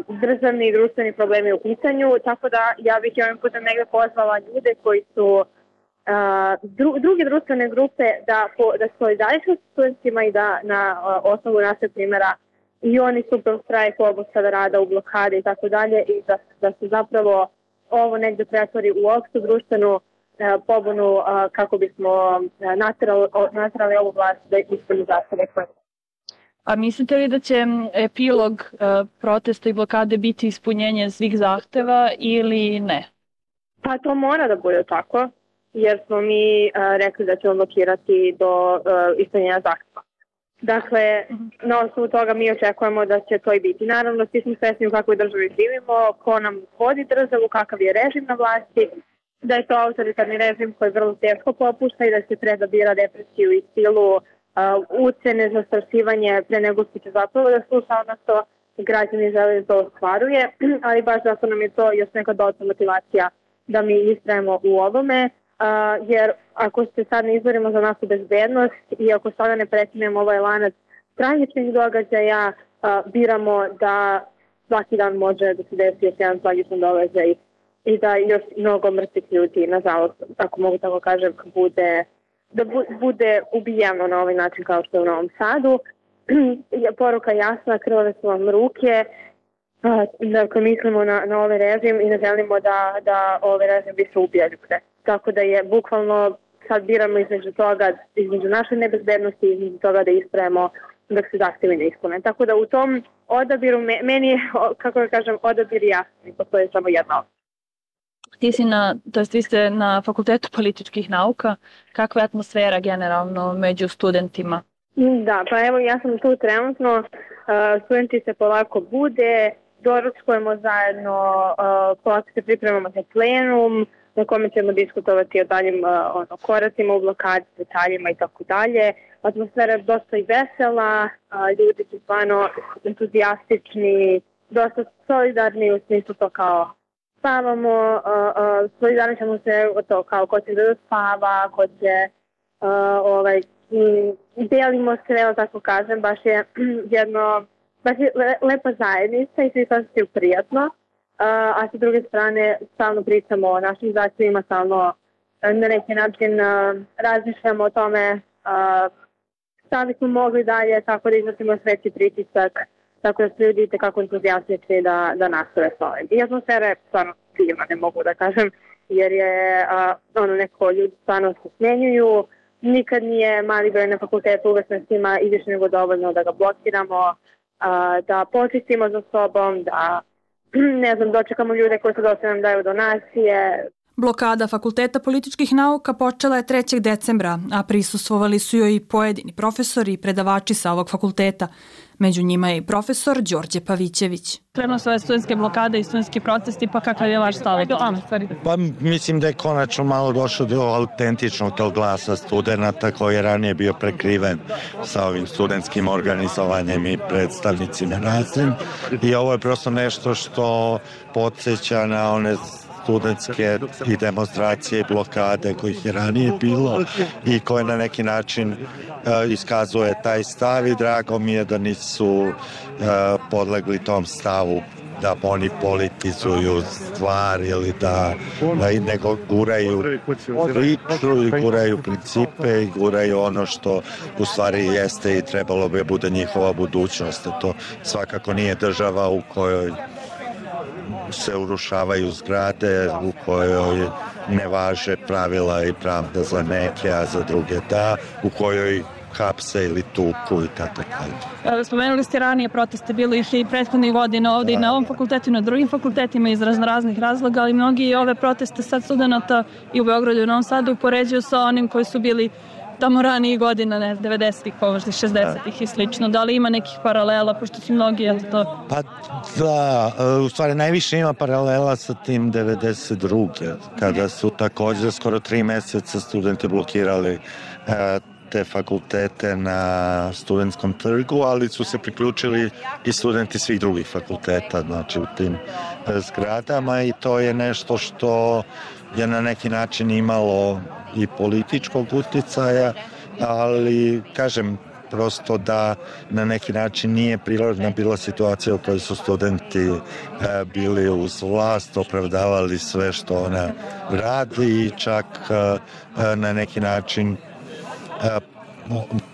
državni i društveni problemi u pitanju, tako da ja bih ovim putem negdje pozvala ljude koji su druge društvene grupe da solidarišu s studentima i da na osnovu našeg primjera i oni stupe u štrajk, obustave rada, u blokade i tako dalje, i da se zapravo ovo negde pretvori u opštu društvenu pobunu kako bismo naterali ovu vlast da ispuni zahteve koje. A mislite li da će epilog protesta i blokade biti ispunjenje svih zahteva ili ne? Pa to mora da bude tako, jer smo mi rekli da ćemo blokirati do ispunjenja zahteva. Dakle, na osnovu toga mi očekujemo da će to i biti. Naravno, svi smo svesni u kakvoj državi živimo, ko nam vodi državu, kakav je režim na vlasti, da je to autoritarni režim koji vrlo teško popušta i da se treba bira represiju i silu, ucene, zastrašivanje pre nego što će zapravo da sluša ono što građani žele da to ostvaruje, ali baš zato nam je to još neka dodatna motivacija da mi istrajemo u ovome, jer ako se sad ne izborimo za našu bezbednost i ako sada ne prekinemo ovaj lanac tragičnih događaja, biramo da svaki dan može da se desi još jedan tragičan događaj i da još mnogo mrtvih ljudi, nažalost, ako mogu tako kažem, bude ubijeno na ovaj način kao što je u Novom Sadu. Poruka jasna, krvave su vam ruke, dakle mislimo na ovaj režim i ne želimo da ovaj režim više ubija ljude. Tako da je bukvalno sad biramo između toga, između naše nebezbednosti i između toga da istrajemo dok se zahtevi ne ispune. Tako da u tom odabiru, meni je, kako da kažem, odabir jasni, postoji samo jedna opcija. Vi ste na Fakultetu političkih nauka. Kakva je atmosfera generalno među studentima? Da, pa evo ja sam tu trenutno, studenti se polako bude, doručkujemo zajedno, polako se pripremamo za plenum, na kome ćemo diskutovati o daljim koracima u blokadi, detaljima i tako dalje. Atmosfera je dosta i vesela, ljudi su stvarno entuzijastični, dosta solidarni u smislu to kao spavamo, solidarni ćemo se to kao ko će da spava, ko će delimo se, tako kažem, baš je lepa zajednica i svi se osjećaju prijatno, a sa druge strane stalno pričamo o našim zahtjevima, stalno na neki način razmišljamo o tome šta bismo mogli dalje, tako da iznosimo sveći pritisak, tako da su ljudi kako entuzijastični da nastave s ovim. I atmosfera je stvarno divna, ne mogu da kažem, jer je neko ljudi stvarno se smenjuju, nikad nije mali broj na fakultetu, uvek nas ima i više nego dovoljno da ga blokiramo, da počistimo za sobom, da dočekamo ljude koji su došli nam daju donacije. Blokada Fakulteta političkih nauka počela je 3. decembra, a prisustvovali su joj i pojedini profesori i predavači sa ovog fakulteta. Među njima je i profesor Đorđe Pavićević. Krenuo su ove studentske blokade i studentski protesti, pa kakav je vaš stav? Pa mislim da je konačno malo došlo do autentičnog tog glasa studenta koji je ranije bio prekriven sa ovim studentskim organizovanjem i predstavnicima raznim. I ovo je prosto nešto što podsjeća na one studentske i demonstracije i blokade kojih je ranije bilo i koje na neki način iskazuje taj stav i drago mi je da nisu podlegli tom stavu da oni politizuju stvar ili da nego guraju priču i guraju principe i guraju ono što u stvari jeste i trebalo bi bude njihova budućnost. To svakako nije država u kojoj se urušavaju zgrade, u kojoj ne važe pravila i pravda za neke, a za druge da, u kojoj hapse ili tuku i tako dalje. Spomenuli ste ranije proteste, bilo išli i prethodnih godina ovde i na ovom fakultetu i na drugim fakultetima iz raznih razloga, ali mnogi ove proteste sad studenta i u Beogradu i u Novom Sadu upoređuju sa onim koji su bili tamo ranije godina, 90-ih, možda 60-ih i slično. Da li ima nekih paralela, pošto su mnogi, to? Pa da, u stvari najviše ima paralela sa tim 92. kada su također skoro 3 meseca studenti blokirali te fakultete na studentskom trgu, ali su se priključili i studenti svih drugih fakulteta, znači u tim zgradama i to je nešto što je na neki način imalo i političkog uticaja, ali kažem prosto da na neki način nije prirodna bila situacija u kojoj su studenti bili uz vlast, opravdavali sve što ona radi i čak na neki način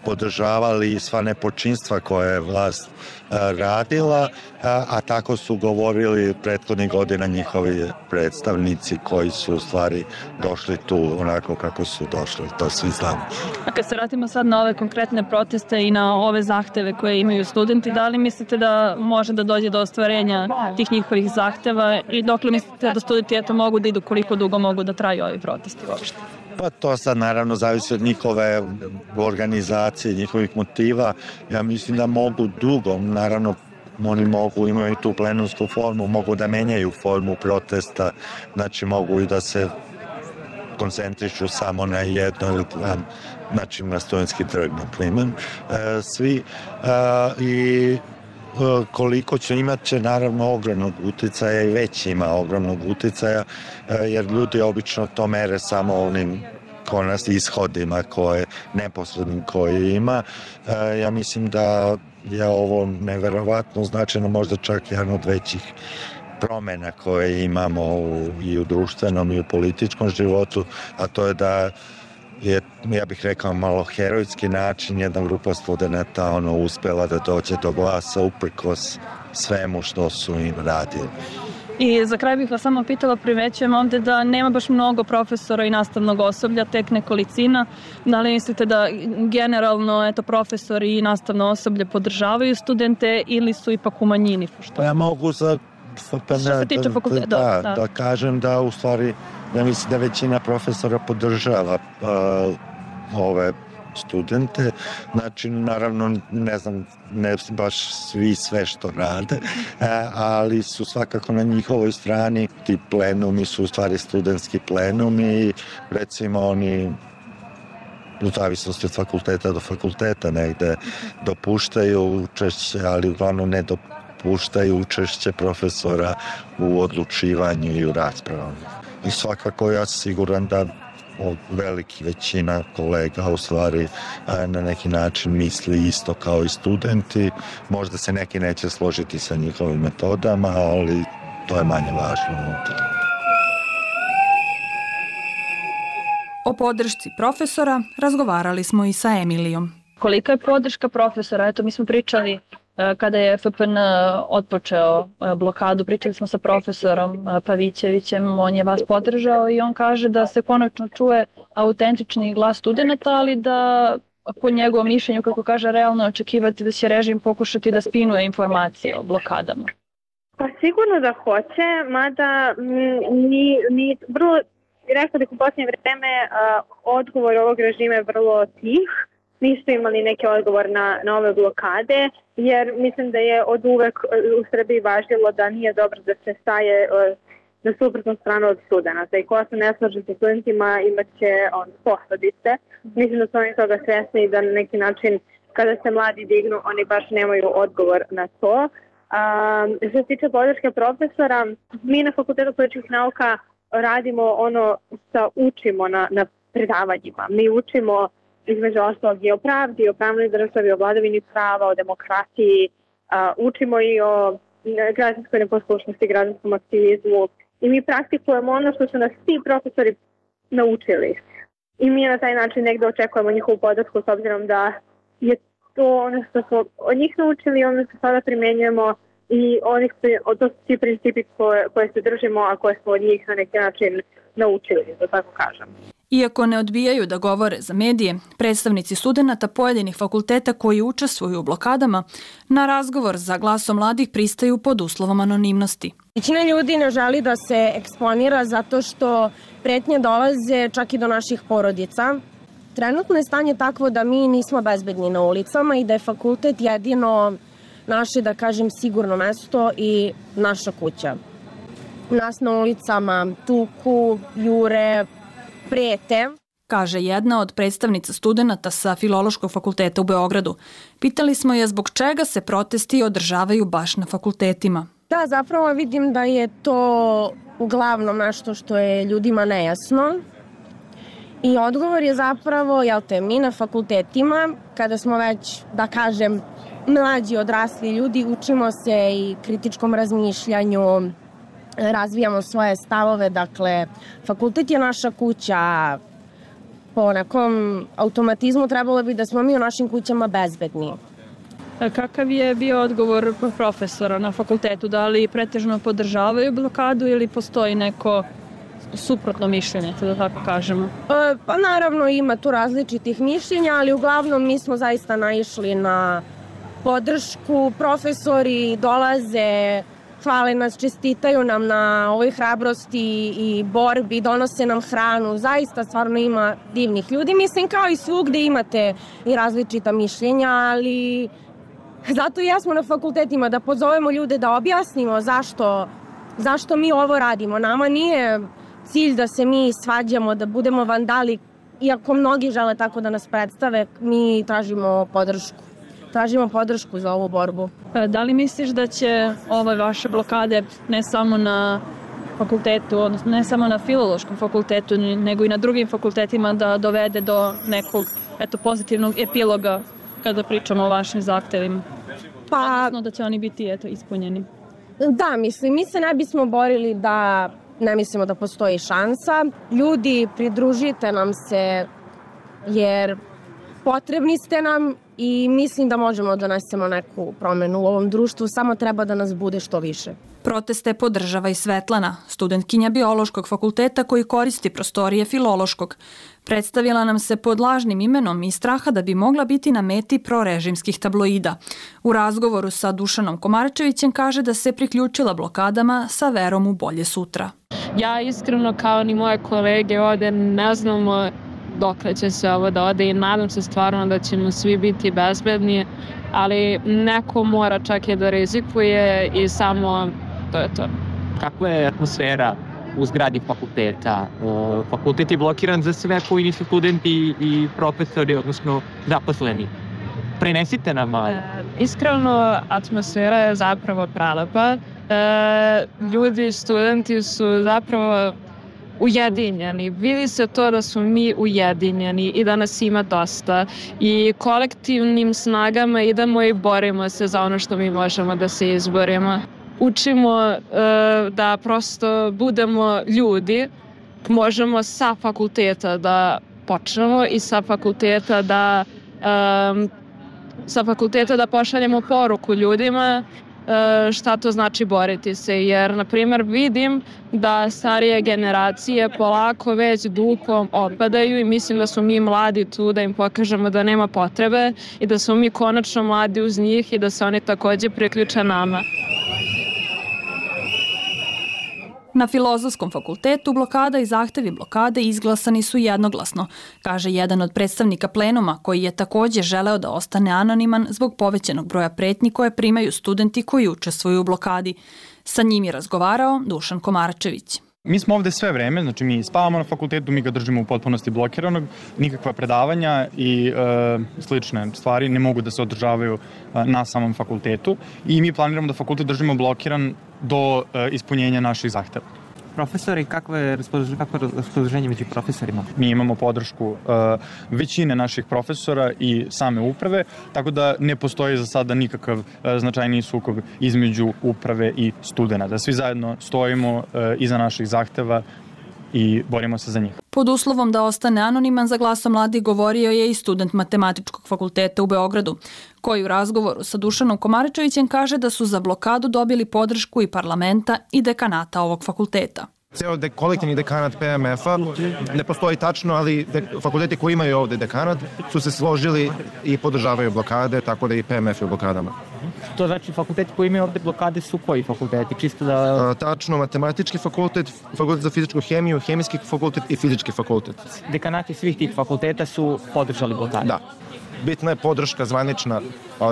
podržavali sva nepočinstva koje je vlast radila, a tako su govorili prethodnih godina njihovi predstavnici koji su u stvari došli tu onako kako su došli, to svi znamo. A kad se vratimo sad na ove konkretne proteste i na ove zahteve koje imaju studenti, da li mislite da može da dođe do ostvarenja tih njihovih zahteva i dokle mislite da studenti mogu da idu, koliko dugo mogu da traju ovi protesti uopšte? Pa to sad naravno zavisi od njihove organizacije, njihovih motiva. Ja mislim da mogu dugo, naravno oni mogu, imaju tu plenumsku formu, mogu da menjaju formu protesta, znači mogu i da se koncentrišu samo na jedno ili dva, znači na Studentski trg, na primjer, svi. I koliko će imat će naravno ogromnog uticaja i već ima ogromnog uticaja, jer ljudi obično to mere samo onim ishodima neposrednim koje ima. Ja mislim da je ovo neverovatno značajno, možda čak jedan od većih promjena koje imamo i u društvenom i u političkom životu, a to je da je, ja bih rekao, malo herojski način jedna grupa studenata uspela da dođe do glasa uprkos svemu što su im radili. I za kraj bih vas samo pitala, primećujem ovde da nema baš mnogo profesora i nastavnog osoblja, tek nekolicina. Da li mislite da generalno profesori i nastavno osoblje podržavaju studente ili su ipak u manjini? Pa ja mogu da kažem da u stvari ja mislim da većina profesora podržava ove studente, znači naravno ne znam, ne baš svi sve što rade, ali su svakako na njihovoj strani. Ti plenumi su u stvari studentski plenumi i recimo oni u zavisnosti od fakulteta do fakulteta negde dopuštaju učešće, ali uglavnom ne dopuštaju učešće profesora u odlučivanju i u raspravama. I svakako ja sam siguran da veliki većina kolega u stvari na neki način misli isto kao i studenti. Možda se neki neće složiti sa njihovim metodama, ali to je manje važno. O podršci profesora razgovarali smo i sa Emilijom. Kolika je podrška profesora? Eto, mi smo pričali kada je FPN otpočeo blokadu, pričali smo sa profesorom Pavićevićem, on je vas podržao i on kaže da se konačno čuje autentični glas studenta, ali da po njegovom mišljenju, kako kaže, realno očekivati da će režim pokušati da spinuje informacije o blokadama. Pa sigurno da hoće, mada ni vrlo, rekao bih u posljednje vreme, odgovor ovog režima je vrlo tih. Nisu imali neki odgovor na ove blokade, jer mislim da je od uvek u Srbiji važilo da nije dobro da se staje na suprotnu stranu od studenta. I ko se ne slaže sa studentima imat će posledice. Mislim da su oni toga svesni i da na neki način kada se mladi dignu oni baš nemaju odgovor na to. Što se tiče podrške profesora, mi na Fakultetu političkih nauka radimo učimo na predavanjima. Mi učimo između ostalog i o pravdi, o pravnoj državi, o vladavini prava, o demokratiji, učimo i o građanskoj neposlušnosti, građanskom aktivizmu i mi praktikujemo ono što su nas svi profesori naučili. I mi na taj način negde očekujemo njihovu podršku s obzirom da je to ono što smo od njih naučili, ono što sada primjenjujemo i to su svi principi koje se držimo, a koje smo od njih na neki način naučili, da tako kažem. Iako ne odbijaju da govore za medije, predstavnici studenata pojedinih fakulteta koji učestvuju u blokadama na razgovor za Glasom mladih pristaju pod uslovom anonimnosti. Većina ljudi ne želi da se eksponira zato što pretnje dolaze čak i do naših porodica. Trenutno je stanje takvo da mi nismo bezbedni na ulicama i da je fakultet jedino naše, da kažem, sigurno mesto i naša kuća. Nas na ulicama tuku, jure, prete, kaže jedna od predstavnica studenata sa Filološkog fakulteta u Beogradu. Pitali smo je zbog čega se protesti održavaju baš na fakultetima. Da, zapravo vidim da je to uglavnom nešto što je ljudima nejasno. I odgovor je zapravo, mi na fakultetima, kada smo već, da kažem, mlađi odrasli ljudi, učimo se i kritičkom razmišljanju, razvijamo svoje stavove, dakle, fakultet je naša kuća, po nekom automatizmu trebalo bi da smo mi u našim kućama bezbedni. Kakav je bio odgovor profesora na fakultetu? Da li pretežno podržavaju blokadu ili postoji neko suprotno mišljenje, da tako kažemo? Pa naravno ima tu različitih mišljenja, ali uglavnom mi smo zaista naišli na podršku. Profesori dolaze, hvale nas, čestitaju nam na ovoj hrabrosti i borbi, donose nam hranu. Zaista stvarno ima divnih ljudi. Mislim, kao i svugde imate i različita mišljenja, ali zato i jesmo na fakultetima, da pozovemo ljude, da objasnimo zašto mi ovo radimo. Nama nije cilj da se mi svađamo, da budemo vandali, iako mnogi žele tako da nas predstave, mi tražimo podršku. Tražimo podršku za ovu borbu. Da li misliš da će ove vaše blokade ne samo na fakultetu, odnosno ne samo na filološkom fakultetu, nego i na drugim fakultetima da dovede do nekog pozitivnog epiloga kada pričamo o vašim zahtevima? Odnosno da će oni biti ispunjeni. Da, mislim, mi se ne bismo borili da ne mislimo da postoji šansa. Ljudi, pridružite nam se jer potrebni ste nam i mislim da možemo da donesemo neku promenu u ovom društvu, samo treba da nas bude što više. Proteste podržava i Svetlana, studentkinja biološkog fakulteta koji koristi prostorije filološkog. Predstavila nam se pod lažnim imenom iz straha da bi mogla biti na meti prorežimskih tabloida. U razgovoru sa Dušanom Komarčevićem kaže da se priključila blokadama sa verom u bolje sutra. Ja iskreno kao ni moje kolege ovde ne znamo dokle će se ovo da ode i nadam se stvarno da ćemo svi biti bezbedni, ali neko mora čak i da rizikuje i samo to je to. Kakva je atmosfera u zgradi fakulteta? Fakultet je blokiran za sve koji nisu studenti i profesori, odnosno zaposleni. Prenesite nam malo. Iskreno, atmosfera je zapravo prelepa. Ljudi, studenti su zapravo ujedinjeni. Vidi se to da smo mi ujedinjeni i da nas ima dosta i kolektivnim snagama idemo i borimo se za ono što mi možemo da se izborimo. Učimo da prosto budemo ljudi, možemo sa fakulteta da počnemo i sa fakulteta da pošaljemo poruku ljudima šta to znači boriti se, jer na primjer vidim da starije generacije polako već duhom opadaju i mislim da smo mi mladi tu da im pokažemo da nema potrebe i da smo mi konačno mladi uz njih i da se oni takođe priključe nama. Na Filozofskom fakultetu blokada i zahtevi blokade izglasani su jednoglasno, kaže jedan od predstavnika plenuma koji je takođe želeo da ostane anoniman zbog povećanog broja pretnji koje primaju studenti koji učestvuju u blokadi. Sa njim je razgovarao Dušan Komarčević. Mi smo ovde sve vreme, znači mi spavamo na fakultetu, mi ga držimo u potpunosti blokiranog, nikakva predavanja i slične stvari ne mogu da se održavaju na samom fakultetu i mi planiramo da fakultet držimo blokiran do ispunjenja naših zahteva. Profesori, kakvo je raspoloženje među profesorima? Mi imamo podršku većine naših profesora i same uprave, tako da ne postoji za sada nikakav značajniji sukob između uprave i studenta. Svi zajedno stojimo iza naših zahteva i borimo se za njih. Pod uslovom da ostane anoniman za Glasom mladih govorio je i student Matematičkog fakulteta u Beogradu, koji u razgovoru sa Dušanom Komarčevićem kaže da su za blokadu dobili podršku i parlamenta i dekanata ovog fakulteta. Ceo kolektivni dekanat PMF-a ne postoji tačno, ali fakulteti koji imaju ovde dekanat su se složili i podržavaju blokade, tako da i PMF je u blokadama. To znači fakulteti koji imaju ovde blokade su koji fakulteti? Čisto da... Tačno, Matematički fakultet, Fakultet za fizičku hemiju, Hemijski fakultet i Fizički fakultet. Dekanati svih tih fakulteta su podržali blokade? Da. Bitna je podrška zvanična,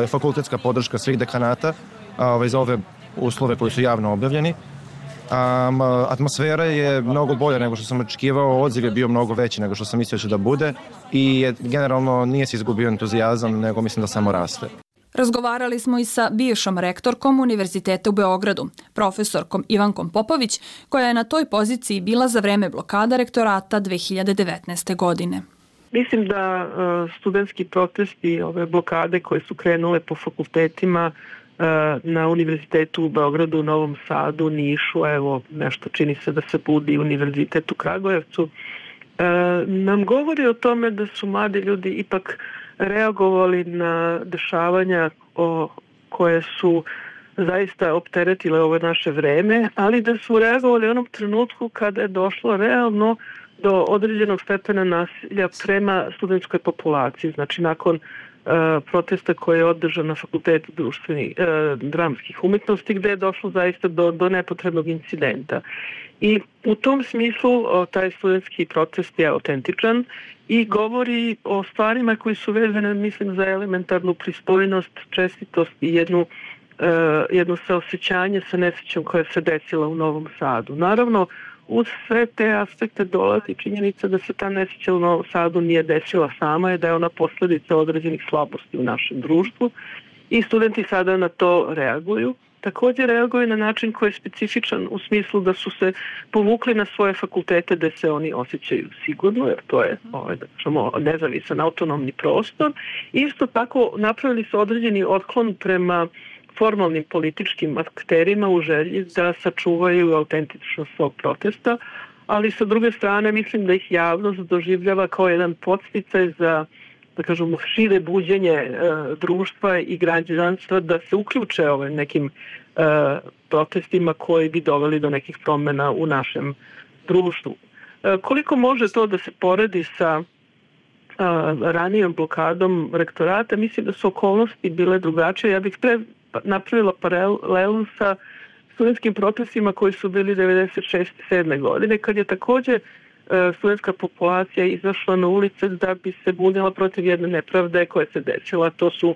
fakultetska podrška svih dekanata za ove uslove koji su javno objavljeni. Atmosfera je mnogo bolja nego što sam očekivao, odziv je bio mnogo veći nego što sam mislio da bude i generalno nije se izgubio entuzijazam, nego mislim da samo raste. Razgovarali smo i sa bivšom rektorkom Univerziteta u Beogradu, profesorkom Ivankom Popović, koja je na toj poziciji bila za vreme blokada rektorata 2019. godine. Mislim da studentski protesti, ove blokade koje su krenule po fakultetima na Univerzitetu u Beogradu, Novom Sadu, Nišu, evo nešto čini se da se budi Univerzitet u Kragujevcu, nam govori o tome da su mladi ljudi ipak reagovali na dešavanja koje su zaista opteretile ovo naše vreme, ali da su reagovali u onom trenutku kada je došlo realno do određenog stepena nasilja prema studentskoj populaciji. Znači, nakon protesta koji je održan na Fakultetu dramskih umetnosti, gde je došlo zaista do nepotrebnog incidenta. I u tom smislu taj studentski protest je autentičan i govori o stvarima koji su vezane, mislim, za elementarnu pristojnost, čestitost i jedno saosećanje sa nesrećom koja se desila u Novom Sadu. Naravno, uz sve te aspekte dolazi činjenica da se ta nesreća u Novom Sadu nije desila sama i da je ona posledica određenih slabosti u našem društvu i studenti sada na to reaguju. Također reaguju na način koji je specifičan u smislu da su se povukli na svoje fakultete gde se oni osjećaju sigurno, jer to je nezavisan autonomni prostor. Isto tako napravili su određeni otklon prema formalnim političkim akterima u želji da sačuvaju autentičnost svog protesta, ali sa druge strane mislim da ih javnost doživljava kao jedan podsticaj za, da kažemo, šire buđenje društva i građanstva da se uključe nekim protestima koji bi doveli do nekih promjena u našem društvu. Koliko može to da se poredi sa ranijom blokadom rektorata, mislim da su okolnosti bile drugačije. Ja bih napravila paralelu sa studentskim protestima koji su bili 96-7 godine, kad je također studentska populacija izašla na ulice da bi se bunila protiv jedne nepravde koja se desila. To su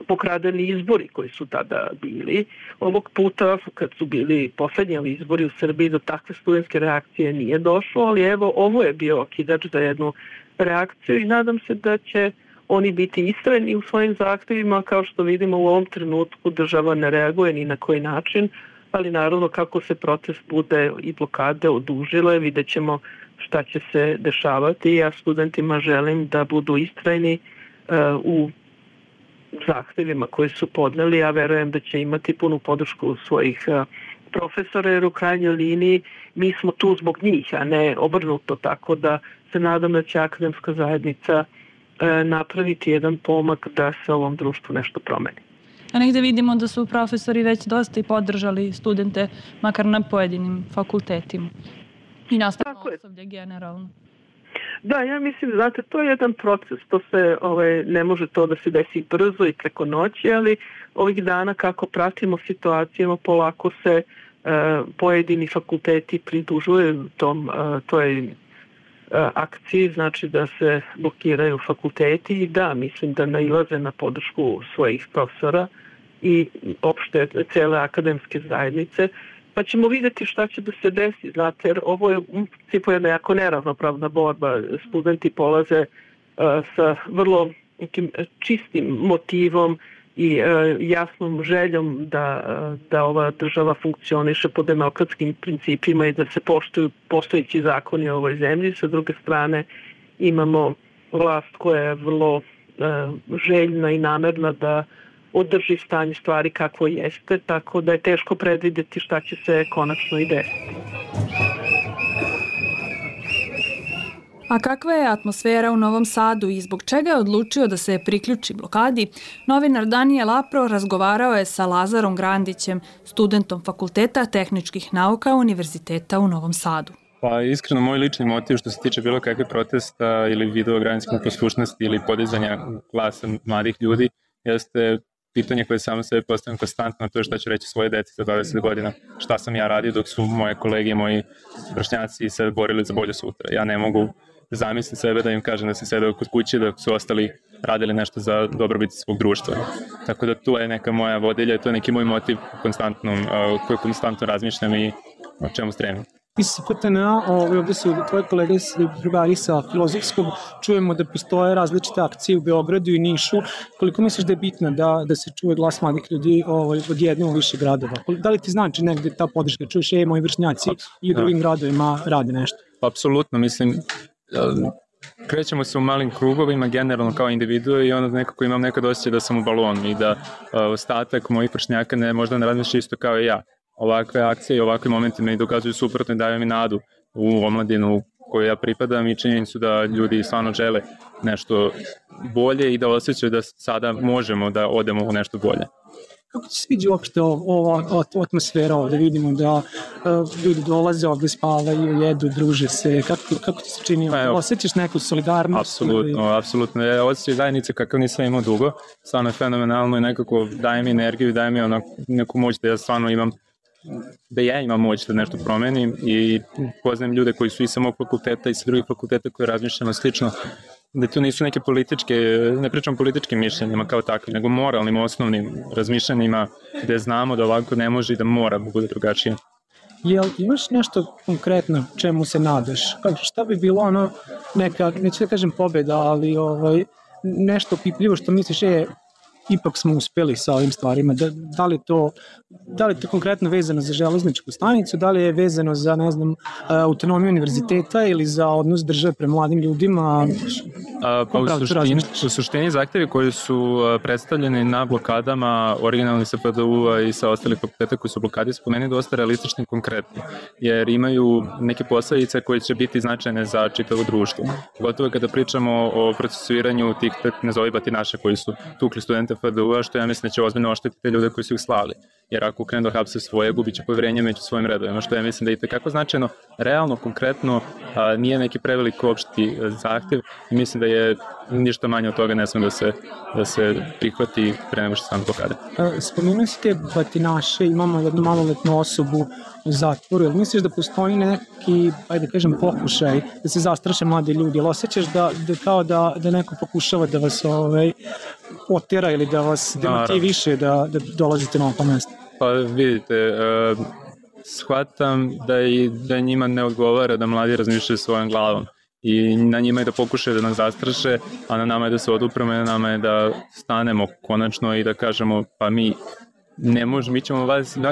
pokradeni izbori koji su tada bili. Ovog puta, kad su bili poslednji izbori u Srbiji, do takve studentske reakcije nije došlo, ali evo, ovo je bio okidač za jednu reakciju i nadam se da će oni biti istrajni u svojim zahtevima. Kao što vidimo u ovom trenutku država ne reaguje ni na koji način, ali naravno kako se protest bude i blokade odužile, vidjet ćemo šta će se dešavati. Ja studentima želim da budu istrajni u zahtevima koji su podneli. Ja verujem da će imati punu podršku svojih profesora, jer u krajnjoj liniji mi smo tu zbog njih, a ne obrnuto, tako da se nadam da će akademska zajednica napraviti jedan pomak da se ovom društvu nešto promeni. A negde vidimo da su profesori već dosta i podržali studente, makar na pojedinim fakultetima i nastavno osoblje generalno. Da, ja mislim, znate, to je jedan proces, to se ne može to da se desi brzo i preko noći, ali ovih dana kako pratimo situacijama, polako se pojedini fakulteti pridružuju toj akciji, znači da se blokiraju fakulteti i da, mislim da nailaze na podršku svojih profesora i opšte cele akademske zajednice, pa ćemo vidjeti šta će da se desi, znate, jer ovo je u principu jedna jako neravnopravna borba. Studenti polaze sa vrlo nekim čistim motivom i jasnom željom da ova država funkcioniše po demokratskim principima i da se poštuju postojeći zakoni u ovoj zemlji. Sa druge strane imamo vlast koja je vrlo željna i namerna da održi stanje stvari kakvo jeste, tako da je teško predvidjeti šta će se konačno i desiti. A kakva je atmosfera u Novom Sadu i zbog čega je odlučio da se priključi blokadi? Novinar Danijel Apro razgovarao je sa Lazarom Grandićem, studentom Fakulteta tehničkih nauka Univerziteta u Novom Sadu. Pa iskreno, moj lični motiv što se tiče bilo kakve protesta ili video građanske poslušnosti ili podizanja glasa mladih ljudi jeste pitanje koje samo sebe postavljam konstantno, to je šta ću reći svoje deci za 20 godina, šta sam ja radio dok su moje kolege i moji vršnjaci se borili za bolje sutra. Ja ne mogu zamisliti sebe da im kažem da sam sedeo kod kuće dok su ostali radili nešto za dobrobit svog društva. Tako da tu je neka moja vodilja i to je neki moj motiv koji konstantno razmišljam i o čemu stremim. Iz FTNA, ovdje su tvoje kolege drugari sa Filozofskog, čujemo da postoje različite akcije u Beogradu i Nišu. Koliko misliš da je bitno da se čuje glas mladih ljudi od jedne u više gradova? Da li ti znači negde ta podrška? Čuješ, moji vršnjaci i u drugim gradovima rade nešto? Apsolutno, mislim, krećemo se u malim krugovima, generalno kao individue i onda nekako imam nekad osjećaj da sam u balonu i da ostatak mojih vršnjaka možda ne razmišlja isto kao i ja. Ovakve akcije i ovakve momenti me dokazuju suprotno i daju mi nadu u omladinu kojoj ja pripadam i činjenicu da ljudi stvarno žele nešto bolje i da osjećaju da sada možemo da odemo u nešto bolje. Kako ti sviđa uopšte ova atmosfera ovde? Vidimo da ljudi dolaze ovde, spavaju, jedu, druže se. Kako ti se čini? Osjećaš neku solidarnost? Apsolutno. Ja osjećam zajednice kakav nisam imao dugo. Stvarno je fenomenalno i nekako daje mi energiju, daje mi neku moć da ja stvarno imam moć da nešto promenim i poznajem ljude koji su i sa mog fakulteta i sa drugih fakulteta koji razmišljamo slično, da to nisu neke političke, ne pričam o političkim mišljenjima kao takvim, nego moralnim, osnovnim razmišljanjima gde znamo da ovako ne može i da mora da bude drugačije. Jel imaš nešto konkretno čemu se nadaš? Šta bi bilo neka, neću da kažem pobeda, ali nešto pipljivo što misliš ipak smo uspeli sa ovim stvarima. Da li je to konkretno vezano za železničku stanicu, da li je vezano za, ne znam, autonomiju univerziteta ili za odnos države prema mladim ljudima? U suštini zahtevi koji su predstavljeni na blokadama originalni sa PDU-a i sa ostalih fakulteta koji su blokadi su po meni dosta realistični i konkretni, jer imaju neke posledice koje će biti značajne za čitavo društvo. Gotovo kada pričamo o procesuiranju tih nazovi batinaša koji su tukli studente PDU-a, što ja mislim da će ozbiljno oštetiti ljude koji su ih slali. Jer ako krenu da hapse svoje, gubit će poverenje među svojim redovima, što ja mislim da je itekako značajno, realno, konkretno, nije neki prevelik opšti zahtev i mislim da je ništa manje od toga ne sme da se prihvati pre nego što sam blokade. Spomenuo si te batinaše, imamo jednu maloletnu osobu u zatvoru, jel misliš da postoji neki, ajde kažem, pokušaj da se zastraše mladi ljudi, jel osjećaš da neko pokušava da vas otera ili da vas demotiviše da dolazite na ovo mesto? Pa vidite, shvatam da njima ne odgovara da mladi razmišljaju svojom glavom i na njima je da pokušaju da nas zastraše, a na nama je da se odupremo i na nama je da stanemo konačno i da kažemo pa mi ne možemo,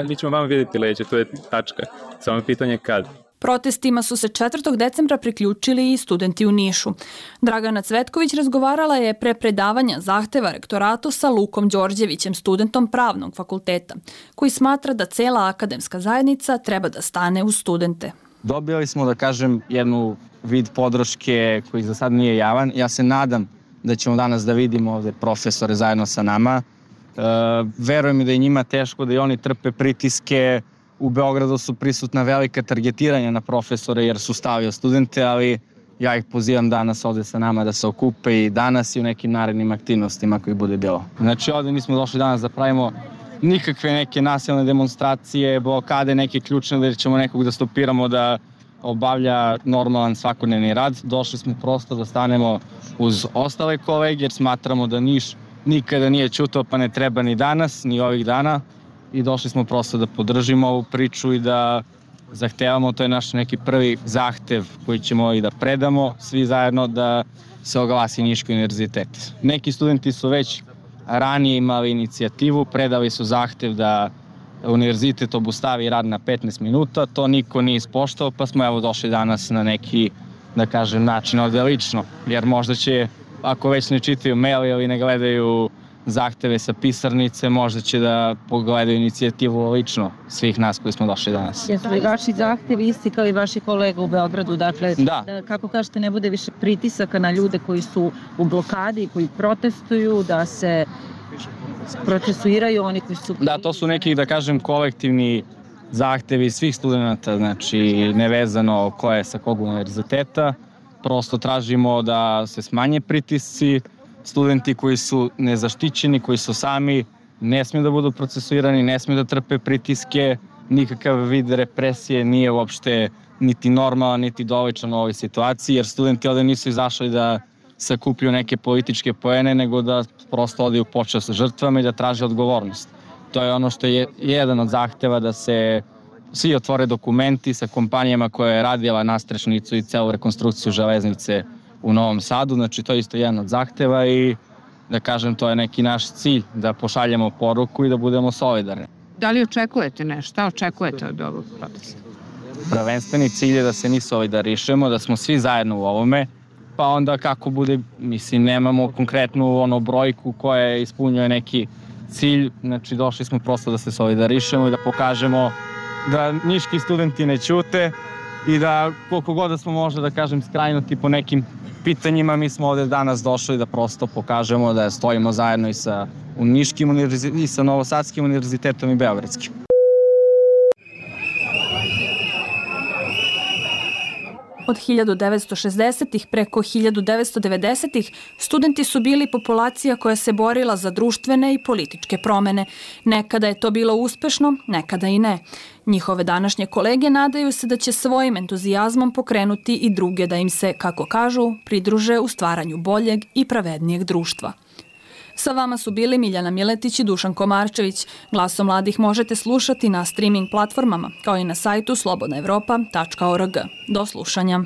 mi ćemo vama vidjeti leđe, to je tačka, samo pitanje kad. Protestima su se 4. decembra priključili i studenti u Nišu. Dragana Cvetković razgovarala je pre predavanja zahteva rektoratu sa Lukom Đorđevićem, studentom pravnog fakulteta, koji smatra da cela akademska zajednica treba da stane uz studente. Dobili smo, da kažem, jednu vid podrške koji za sad nije javan. Ja se nadam da ćemo danas da vidimo ovde profesore zajedno sa nama. Verujem da je njima teško, da i oni trpe pritiske. U Beogradu su prisutna velika targetiranja na profesore jer su stavio studente, ali ja ih pozivam danas ovde sa nama da se okupe i danas i u nekim narednim aktivnostima koji bude bilo. Znači ovde nismo došli danas da pravimo nikakve neke nasilne demonstracije, blokade, neke ključne da ćemo nekog da stopiramo da obavlja normalan svakodnevni rad. Došli smo prosto da stanemo uz ostale kolege jer smatramo da Niš nikada nije ćutao pa ne treba ni danas, ni ovih dana. I došli smo prosto da podržimo ovu priču i da zahtevamo, to je naš neki prvi zahtev koji ćemo i da predamo svi zajedno da se oglasi Niški univerzitet. Neki studenti su već ranije imali inicijativu, predali su zahtev da univerzitet obustavi rad na 15 minuta, to niko nije ispoštao pa smo evo došli danas na neki, da kažem, način ovde lično, jer možda će, ako već ne čitaju mail ili ne gledaju zahteve sa pisarnice, možda će da pogledaju inicijativu lično svih nas koji smo došli danas. Jesu li vaši zahtevi isti kao i vaši kolega u Beogradu? Dakle, da, kako kažete, ne bude više pritisaka na ljude koji su u blokadi, koji protestuju, da se procesuiraju oni koji su... Da, to su neki, da kažem, kolektivni zahtevi svih studenta, znači nevezano ko je sa kog univerziteta. Prosto tražimo da se smanje pritisci, studenti koji su nezaštićeni, koji su sami, ne smiju da budu procesuirani, ne smiju da trpe pritiske, nikakav vid represije nije uopšte niti normalan, niti doličan u ovoj situaciji, jer studenti ovde nisu izašli da sakuplju neke političke poene, nego da prosto odaju počast žrtvama i da traže odgovornost. To je ono što je jedan od zahteva, da se svi otvore dokumenti sa kompanijama koja je radila nastrešnicu i celu rekonstrukciju železnice u Novom Sadu, znači to je isto jedan od zahteva i da kažem to je neki naš cilj, da pošaljemo poruku i da budemo solidarni. Da li očekujete nešto? Šta očekujete od ovog protesta? Prvenstveni cilj je da se mi solidarišemo, da smo svi zajedno u ovome, pa onda kako bude, mislim, nemamo konkretnu brojku koja ispunjuje neki cilj, znači došli smo prosto da se solidarišemo i da pokažemo da niški studenti ne ćute i da koliko god da smo možda, da kažem, skrajnuti po nekim pitanjima, mi smo ovde danas došli da prosto pokažemo da stojimo zajedno i sa Niškim univerzitetom i sa Novosadskim univerzitetom i Beogradskim. Od 1960-ih preko 1990-ih studenti su bili populacija koja se borila za društvene i političke promene. Nekada je to bilo uspešno, nekada i ne. Njihove današnje kolege nadaju se da će svojim entuzijazmom pokrenuti i druge da im se, kako kažu, pridruže u stvaranju boljeg i pravednijeg društva. Sa vama su bili Miljana Miletić i Dušan Komarčević. Glasom mladih možete slušati na streaming platformama, kao i na sajtu slobodnaevropa.org. Do slušanja.